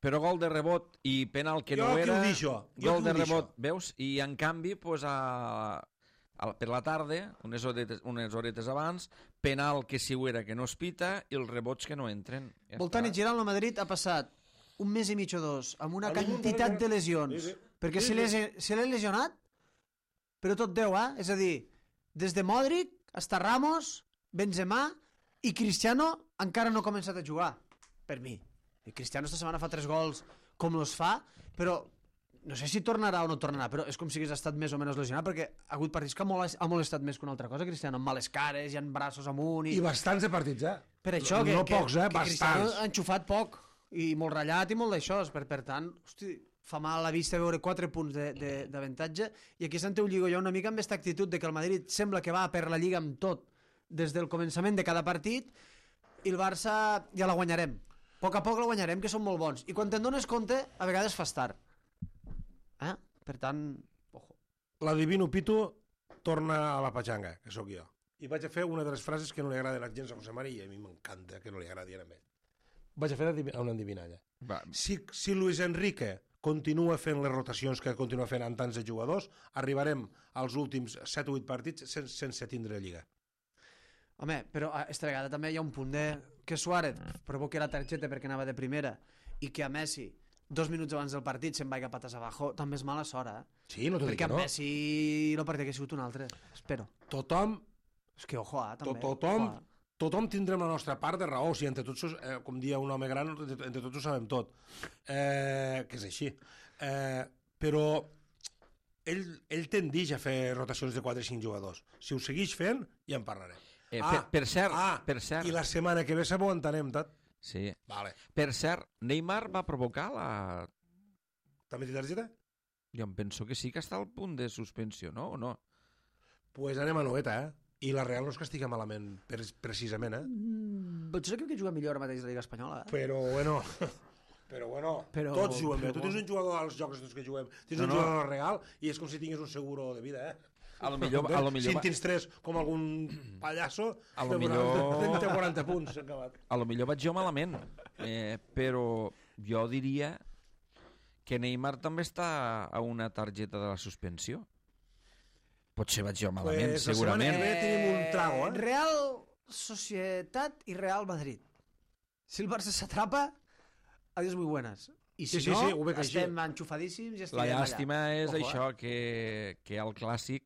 Però gol de rebot i penal que Jo no qui era... ho dic, jo. Gol de rebot, veus? I en canvi, pues, per la tarda, unes horetes abans, penal que si ho era que no es pita i els rebots que no entren. Ja Voltant i està. girant, el Madrid ha passat un mes i mig o dos amb una A mi quantitat m'ho- de lesions. Sí, sí. Perquè Sí, se l'he lesionat, però tot Déu, És a dir, des de Modric hasta Ramos, Benzema i Cristiano encara no ha començat a jugar, per mi. I Cristiano esta setmana fa 3 gols com los fa, però no sé si tornarà o no tornarà, però és com si hagués estat més o menys lesionat, perquè ha hagut partits que ha molestat més que una altra cosa, Cristiano, amb males cares, i amb braços amunt... I bastants de partits, Per això, no pocs, que Cristiano bastants. ha enxufat poc, i molt ratllat i molt d'això, per tant, hosti, fa mal a la vista veure 4 punts d'avantatge, i aquí Santiago lligo jo una mica amb aquesta actitud de que el Madrid sembla que va per la Lliga amb tot, des del començament de cada partit, i el Barça ja la guanyarem. A poc la guanyarem, que són molt bons. I quan te'n dones compte, a vegades fas tard. Per tant, ojo. L'adivino Pitu torna a la patxanga, que sóc jo. I vaig a fer una de les frases que no li agraden gens a José María, i a mi m'encanta que no li agradi a ell. Vaig a fer una endivinalla. Va, Si Luis Enrique continua fent les rotacions que continua fent amb tants de jugadors, arribarem als últims 7 o 8 partits sense tindre lliga. Home, però esta vegada també hi ha un punt de que Suárez provoqui la targeta perquè anava de primera i que a Messi 2 minuts abans del partit se'n vaiga patas abajo, també és mala sort, Sí, no t'ho dic perquè que amb no. Messi el partit que ha sigut un altre, espero. Tothom, És que ojo, també. tothom, Ojo, tothom tindrem la nostra part de raó. O sigui, entre tots, com dia un home gran, entre tots ho sabem tot. Que és així. Però ell tendeix a fer rotacions de 4 o 5 jugadors. Si ho segueix fent, ja en parlarem. per cert, I la setmana que ve s'aguantarem, tot. sí. Vale. Per cert, Neymar va provocar la... També té targeta? Jo em penso que sí que està al punt de suspensió, no? O no? Pues anem a noeta, I la Real no es castiga malament, precisament, Potser crec que juga millor ara mateix a la Lliga Espanyola. Però bueno, Però- tots juguem bé. però Tu tens un jugador als jocs tots que juguem, tens un No. jugador real i és com si tingués un seguro de vida, A lo millor Si en tens 3 com algun pallasso, A lo millor- té 40 punts, s'ha acabat. A lo millor vaig jo malament, però jo diria que Neymar també està a una targeta de la suspensió. Potser vaig jo malament, Pues la segurament. setmana que ve tenim un trago, Real Societat i Real Madrid. Si el Barça s'atrapa, adiós muy buenas. I si Sí, no, sí, ho veig així. estem enxufadíssims i La estarem allà. llàstima és Ojo, això, que al Clàssic,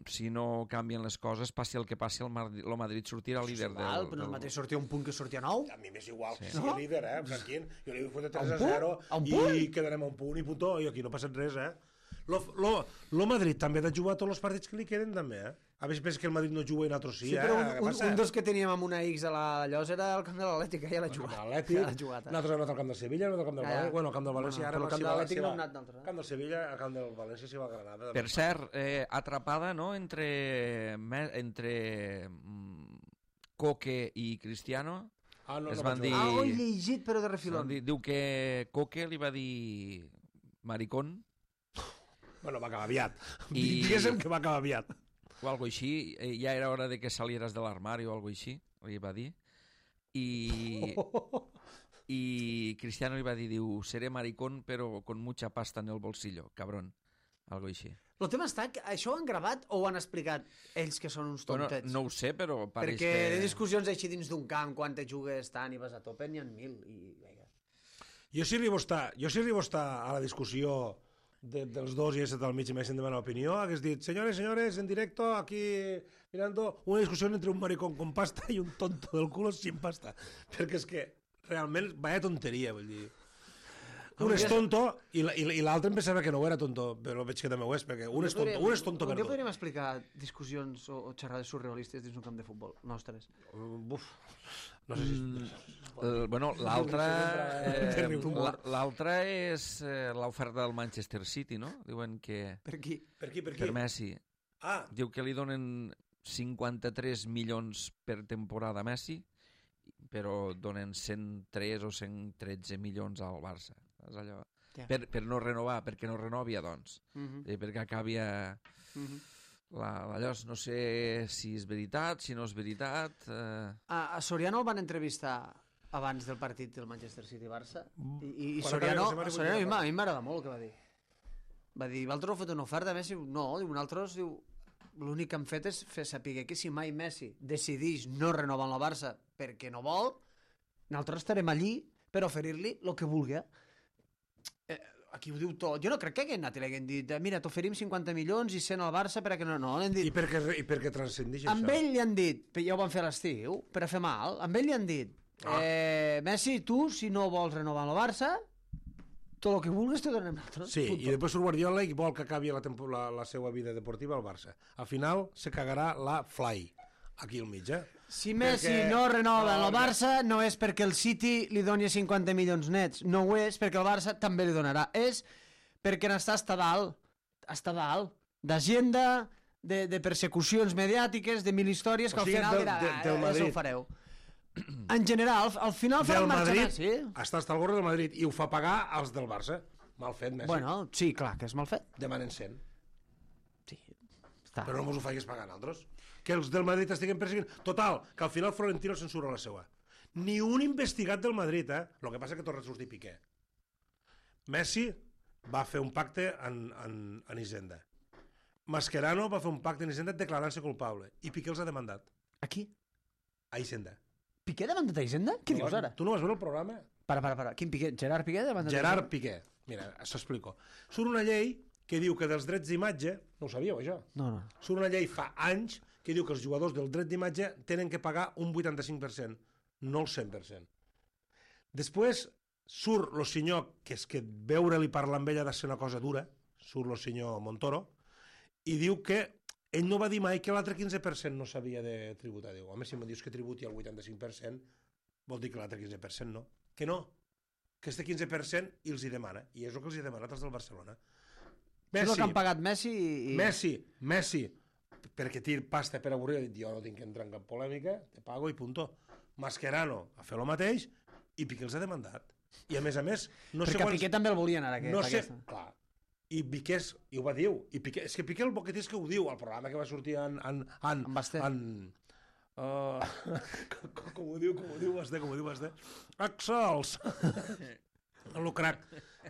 si no canvien les coses, passi el que passi, el Madrid sortirà líder Val, però el mateix sortia un punt que sortia 9. A mi m'és igual que Sí. sigui líder, Franquín. Jo li vull fotre 3 A a un punt? 0 A un i punt? quedarem a un punt i puntó, i aquí no passa res, Lo Madrid també ha de jugar tots els partits que li queden, també, A veure, que el Madrid no juga i nosaltres sí, Sí, però Què passa? un dels que teníem amb una X a la llosa era el camp de l'Atlètic, ja l'ha jugat. L'Atlètic, Ja l'ha jugat. nosaltres hem anat al camp del Sevilla, hem anat al camp del Ja, ja. València, bueno, al camp del València, Bueno, ara però al camp s'hi de va- l'Atlètic s'hi no va- hem anat nosaltres, Camp del Sevilla, al camp del València s'hi va a Granada. Per cert, atrapada, no?, entre Coque i Cristiano. No, es no van vaig dir- jugar. Ah, ho he llegit, però de refilón. Diu que Coque li va dir maricón Bueno, va acabar aviat. I- Diguéssim que va acabar aviat. o algo així, ja era hora de que salieras del armario o algo així, li va dir. I Cristiano li va dir, diu, seré maricón però con mucha pasta en el bolsillo, cabrón, algo així. El tema està que això ho han gravat o ho han explicat ells que són uns Bueno, tontets? no ho sé, però pareix Perquè de que... discussions així dins d'un camp, quan te jugues tant i vas a tope, n'hi ha 1000. I, vinga. Jo si arribo a estar a la discussió dels dos i he estat al mig i m'haguessin demanat l'opinió, hagués dit, señores, en directo, aquí mirando una discussió entre un maricón con pasta i un tonto del culo sin pasta. Perquè és que realment, vaya tonteria, vull dir. Un és tonto i l'altre em pensava que no ho era tonto, però veig que també ho és, perquè un és tonto Un per dia tot. podríem explicar discussions o xerrades surrealistes dins un camp de futbol, nostres. Buf, no sé si... Bueno, Terrible. l'altra és l'oferta del Manchester City, no? Diuen que Per aquí. Per qui? per Messi. Ah, Diu que li donen 53 milions per temporada a Messi, però donen 103 o 113 milions al Barça. És allò... Ja. per no renovar, perquè no renovia, doncs. Perquè acabi allò, no sé si és veritat, si no és veritat... A Soriano el van entrevistar abans del partit del Manchester City-Barça i Quan Soriano acaba la a setmana mi m'agrada molt el que va dir. Va dir, vosaltres heu fet una oferta a Messi? No, diu, nosaltres, diu, l'únic que hem fet és fer saber que si mai Messi decideix no renovar amb la Barça perquè no vol, nosaltres estarem allí per oferir-li el que vulgui. Aquí ho diu tot. Jo no crec que haguem anat i l'haguem dit mira, t'oferim 50 milions i 100 al Barça perquè no, l'hem dit. I perquè transcendix això. Amb ell li han dit, ja ho van fer a l'estiu, per a fer mal, amb ell li han dit Messi, tu, si no vols renovar amb el Barça, tot el que vulguis te donem nosaltres. Sí, i després surt Guardiola i vol que acabi la seva vida deportiva al Barça. Al final se cagarà la Fly, aquí al mig, Si Messi no renova amb el Barça no és perquè el City li doni 50 milions nets, no ho és perquè el Barça també li donarà, és perquè n'està hasta dalt d'agenda, de persecucions mediàtiques, de mil històries que al final dirà, això ho fareu. En general, al final farà marxa Messi. Està hasta el gorro del Madrid i ho fa pagar als del Barça. Mal fet, Messi. Bueno, sí, clar, que és mal fet. Demanen 100. Sí, està. Però no mos ho facis pagar nosaltres. Que els del Madrid estiguen perseguint. Total, que al final Florentino censura la seva. Ni un investigat del Madrid, El que passa que torna a sortir Piqué. Messi va fer un pacte en Hisenda. Mascherano va fer un pacte en Hisenda declarant-se culpable. I Piqué els ha demandat. A qui? A Hisenda. Piqué demandat a Hisenda? Què dius ara? Tu no vas veure el programa? Para. Quin Piqué? Gerard Piqué demandat a Hisenda? Gerard Piqué. Mira, s'explico. Surt una llei que diu que dels drets d'imatge... No ho sabíeu, això? No. Surt una llei fa anys que diu que els jugadors del dret d'imatge tenen que pagar un 85%, no el 100%. Després surt el senyor, que és que veure-li parlar amb ella ha de ser una cosa dura, surt el senyor Montoro, i diu que ell no va dir mai que l'altre 15% no s'havia de tributar. Diu, home, si me dius que tributi el 85%, vol dir que l'altre 15% no. Que no, que este 15% i els hi demana, i és el que els hi demanat els del Barcelona. Messi, és el que han pagat Messi i... Messi, perquè tir pasta per avorrir, jo no tinc que entrar en cap polèmica, te pago i punto. Mascherano a fer el mateix i Piqué els ha demandat. I a més, no perquè sé quants... Piqué també el volien ara. No sé, clar. I Piqué, i ho va dir, i Piqué, és que Piqué el boquet és que ho diu, al programa que va sortir en Basté. Com ho diu Basté? Axels! El crac.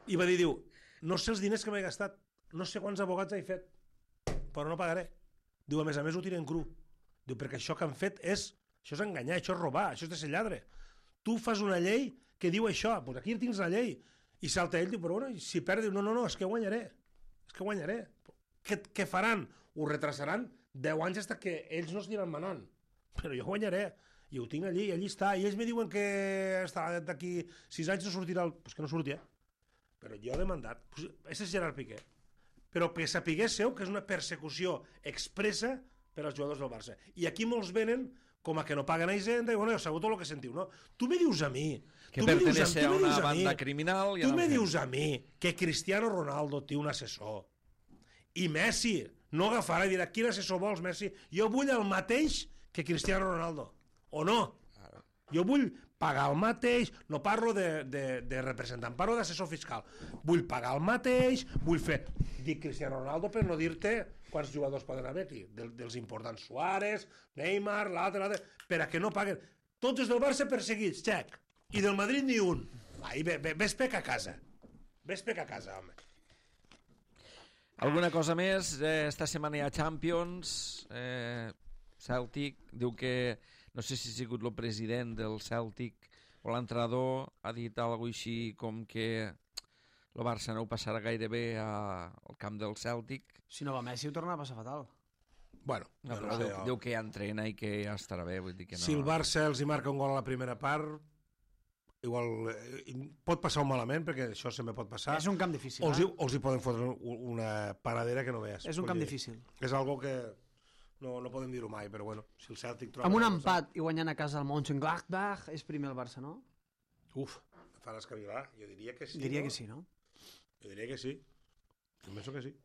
I va dir, no sé els diners que m'he gastat, no sé quants abogats he fet, però no pagaré. Diu, a més ho tiren cru. Diu, perquè això que han fet això és enganyar, això és robar, això és de ser lladre. Tu fas una llei que diu això, doncs aquí tens la llei. I salta ell, diu, però bueno, si perd, diu, no, és que guanyaré. Què faran? Ho retrasaran 10 anys fins que ells no es aniran manant. Però jo guanyaré. I ho tinc allí està. I ells me diuen que d'aquí 6 anys no sortirà Pues que no sortia. Però jo he demandat. Pues és Gerard Piqué. Però que sapiguéssiu que és una persecució expressa per als jugadors del Barça. I aquí molts venen com a que no paguen a Hisenda i bueno, ja sabeu tot el que sentiu, no? Tu me dius a mi... Que pertenece a una banda criminal... Tu me dius a mi que Cristiano Ronaldo té un assessor i Messi no agafarà i dirà quin assessor vols, Messi? Jo vull el mateix que Cristiano Ronaldo. O no? Jo vull pagar el mateix, no parlo de representant, parlo d'assessor fiscal. Vull pagar el mateix, vull fer... Dic Cristiano Ronaldo per no dir-te quants jugadors poden haver aquí. Dels importants Suárez, Neymar, l'altre... Per a que no paguen. Tots els del Barça perseguits, xec. I del Madrid ni un. Ai, ves pec a casa. Home. Alguna cosa més? Esta setmana hi ha Champions. Celtic diu que... No sé si ha sigut el president del Celtic o l'entrenador, ha dit alguna cosa així com que el Barça no ho passarà gaire bé al camp del Celtic. Si no va Messi ho torna a passar fatal. Bueno, no, però diu que ja entrena i que ja estarà bé. Vull dir que no... Si el Barça els hi marca un gol a la primera part, igual pot passar un malament, perquè això sempre pot passar. És un camp difícil. O els hi poden fotre una paradera que no veies. És un camp difícil. És algo que... No podem dir-ho mai, però bueno, si el Celtic troba... Amb un empat i guanyant a casa el Mönchengladbach és primer el Barça, no? Uf, em fa l'escavilar. Jo diria que sí. Diria que sí, no? Jo diria que sí. Jo penso que sí.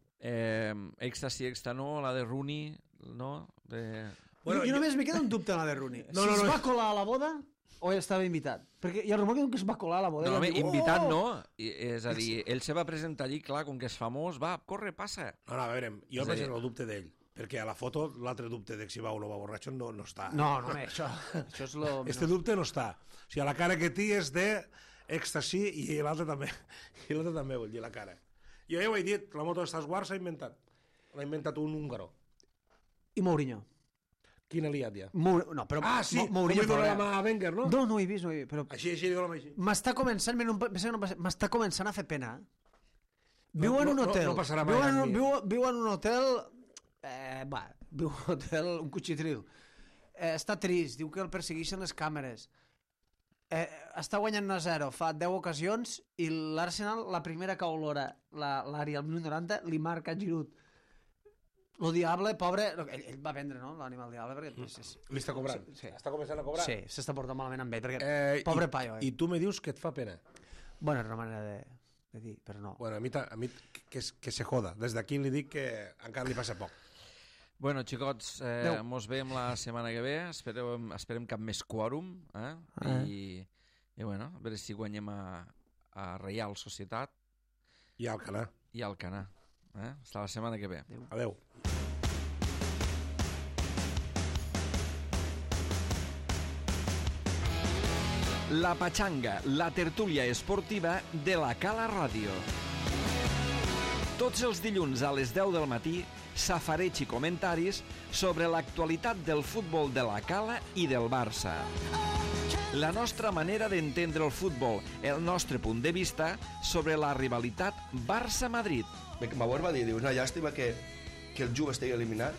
Extra sí, extra no, la de Rooney, no? Bueno, jo només me queda un dubte en la de Rooney. Si es va colar a la boda, o estava invitat? Perquè hi ha rumor que es va colar a la bodega. No, home, i diu, invitat no. És a dir, ell se va presentar allí, clar, com que és famós, va, corre, passa. No, a veure, jo És a dir- vaig el dubte d'ell, perquè a la foto l'altre dubte de si va o no va borratxo no està. No, home, això és lo... Este dubte no està. O sigui, la cara que té és d'èxtasi i l'altre també. I l'altre també, vull dir, la cara. Jo ja ho he dit, la moto d'Star Wars s'ha inventat. L'ha inventat un húngaro. I Mourinho. Quin aliat ja? No, però... Ah, sí, Mourinho, com li dona la mà a Wenger, no? No, no ho he vist, no ho he vist, però... Així, li dona la mà així. M'està començant, m'està començant a fer pena. Viu en un no, hotel. no passarà mai amb mi. Viu en un hotel... viu en un hotel, un cuchitril. Està trist, diu que el persegueixen les càmeres. Està guanyant 1-0, fa 10 ocasions, i l'Arsenal, la primera que olora l'àrea al minut 90, li marca Giroud. Lo diable, pobre... Ell va vendre, no?, l'animal diable, perquè... Li està cobrant. Sí. Està començant a cobrar. Sí, s'està portant malament amb ell, perquè... Pobre paio, I tu me dius que et fa pena. Bueno, és una manera de dir, però no. Bueno, a mi que se joda. Des d'aquí li dic que encara li passa poc. Bueno, xicots, mos veiem la setmana que ve. Esperem cap més quòrum. I bueno, a veure si guanyem a Reial Societat I al Canà. i al Canà. Fins la setmana que ve. Adéu. La Pachanga, la tertúlia esportiva de la Cala Ràdio. Tots els dilluns a les 10 del matí, safareig i comentaris sobre l'actualitat del futbol de la Cala i del Barça. La nostra manera d'entendre el futbol, el nostre punt de vista sobre la rivalitat Barça-Madrid. Bauer va dir, diu, una llàstima que el Juve estigui eliminat,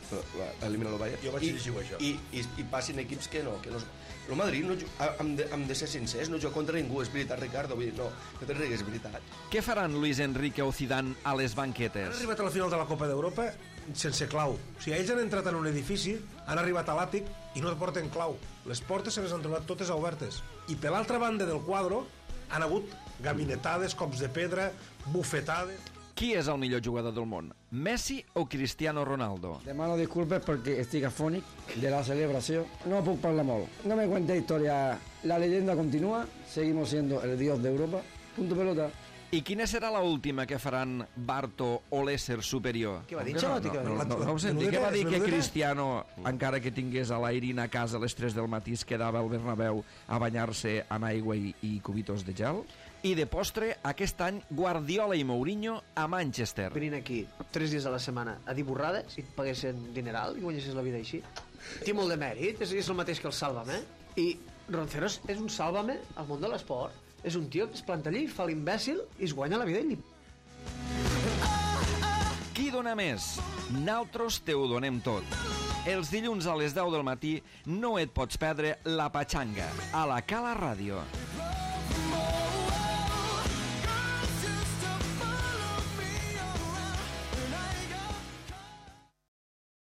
elimina el Bayern, Jo vaig llegir això. i passin equips que no. El Madrid, hem de ser sincers, no juga contra ningú, és veritat, Ricardo, vull dir, no te rigues, és veritat. Què faran Luis Enrique o Zidane a les Han banquetes? arribat a la final de la Copa d'Europa sense clau. O sigui, ells han entrat en un edifici, han arribat a l'àtic i no porten clau. Les portes se les han trobat totes obertes. I per l'altra banda del quadre han hagut gabinetades, cops de pedra, bufetades... Qui és el millor jugador del món? Messi o Cristiano Ronaldo? Demano disculpes perquè estic afònic de la celebració. No puc parlar molt. No me cuente historia. La leyenda continúa. Seguimos siendo el dios de Europa. Punto pelota. I quina serà la última que faran Barto o l'ésser superior? Què va dir, No, Xalotti? no ho senti. Què va dir que Cristiano, encara que tingués a l'Airin a casa a les 3 del matí, es quedava al Bernabéu a banyar-se en aigua i cubitos de gel? I de postre, aquest any, Guardiola i Mourinho a Manchester. Venint aquí 3 dies a la setmana a dir borrades i et paguessin dineral i guanyessis la vida així. Té molt de mèrit, és el mateix que el Sálvame. I Ronceros és un Sálvame al món de l'esport. És un tio que es planta allí, fa l'imbècil i es guanya la vida i Qui dona més? Naltros te ho donem tot. Els dilluns a les 10 del matí no et pots perdre La Pachanga, a la Cala Ràdio.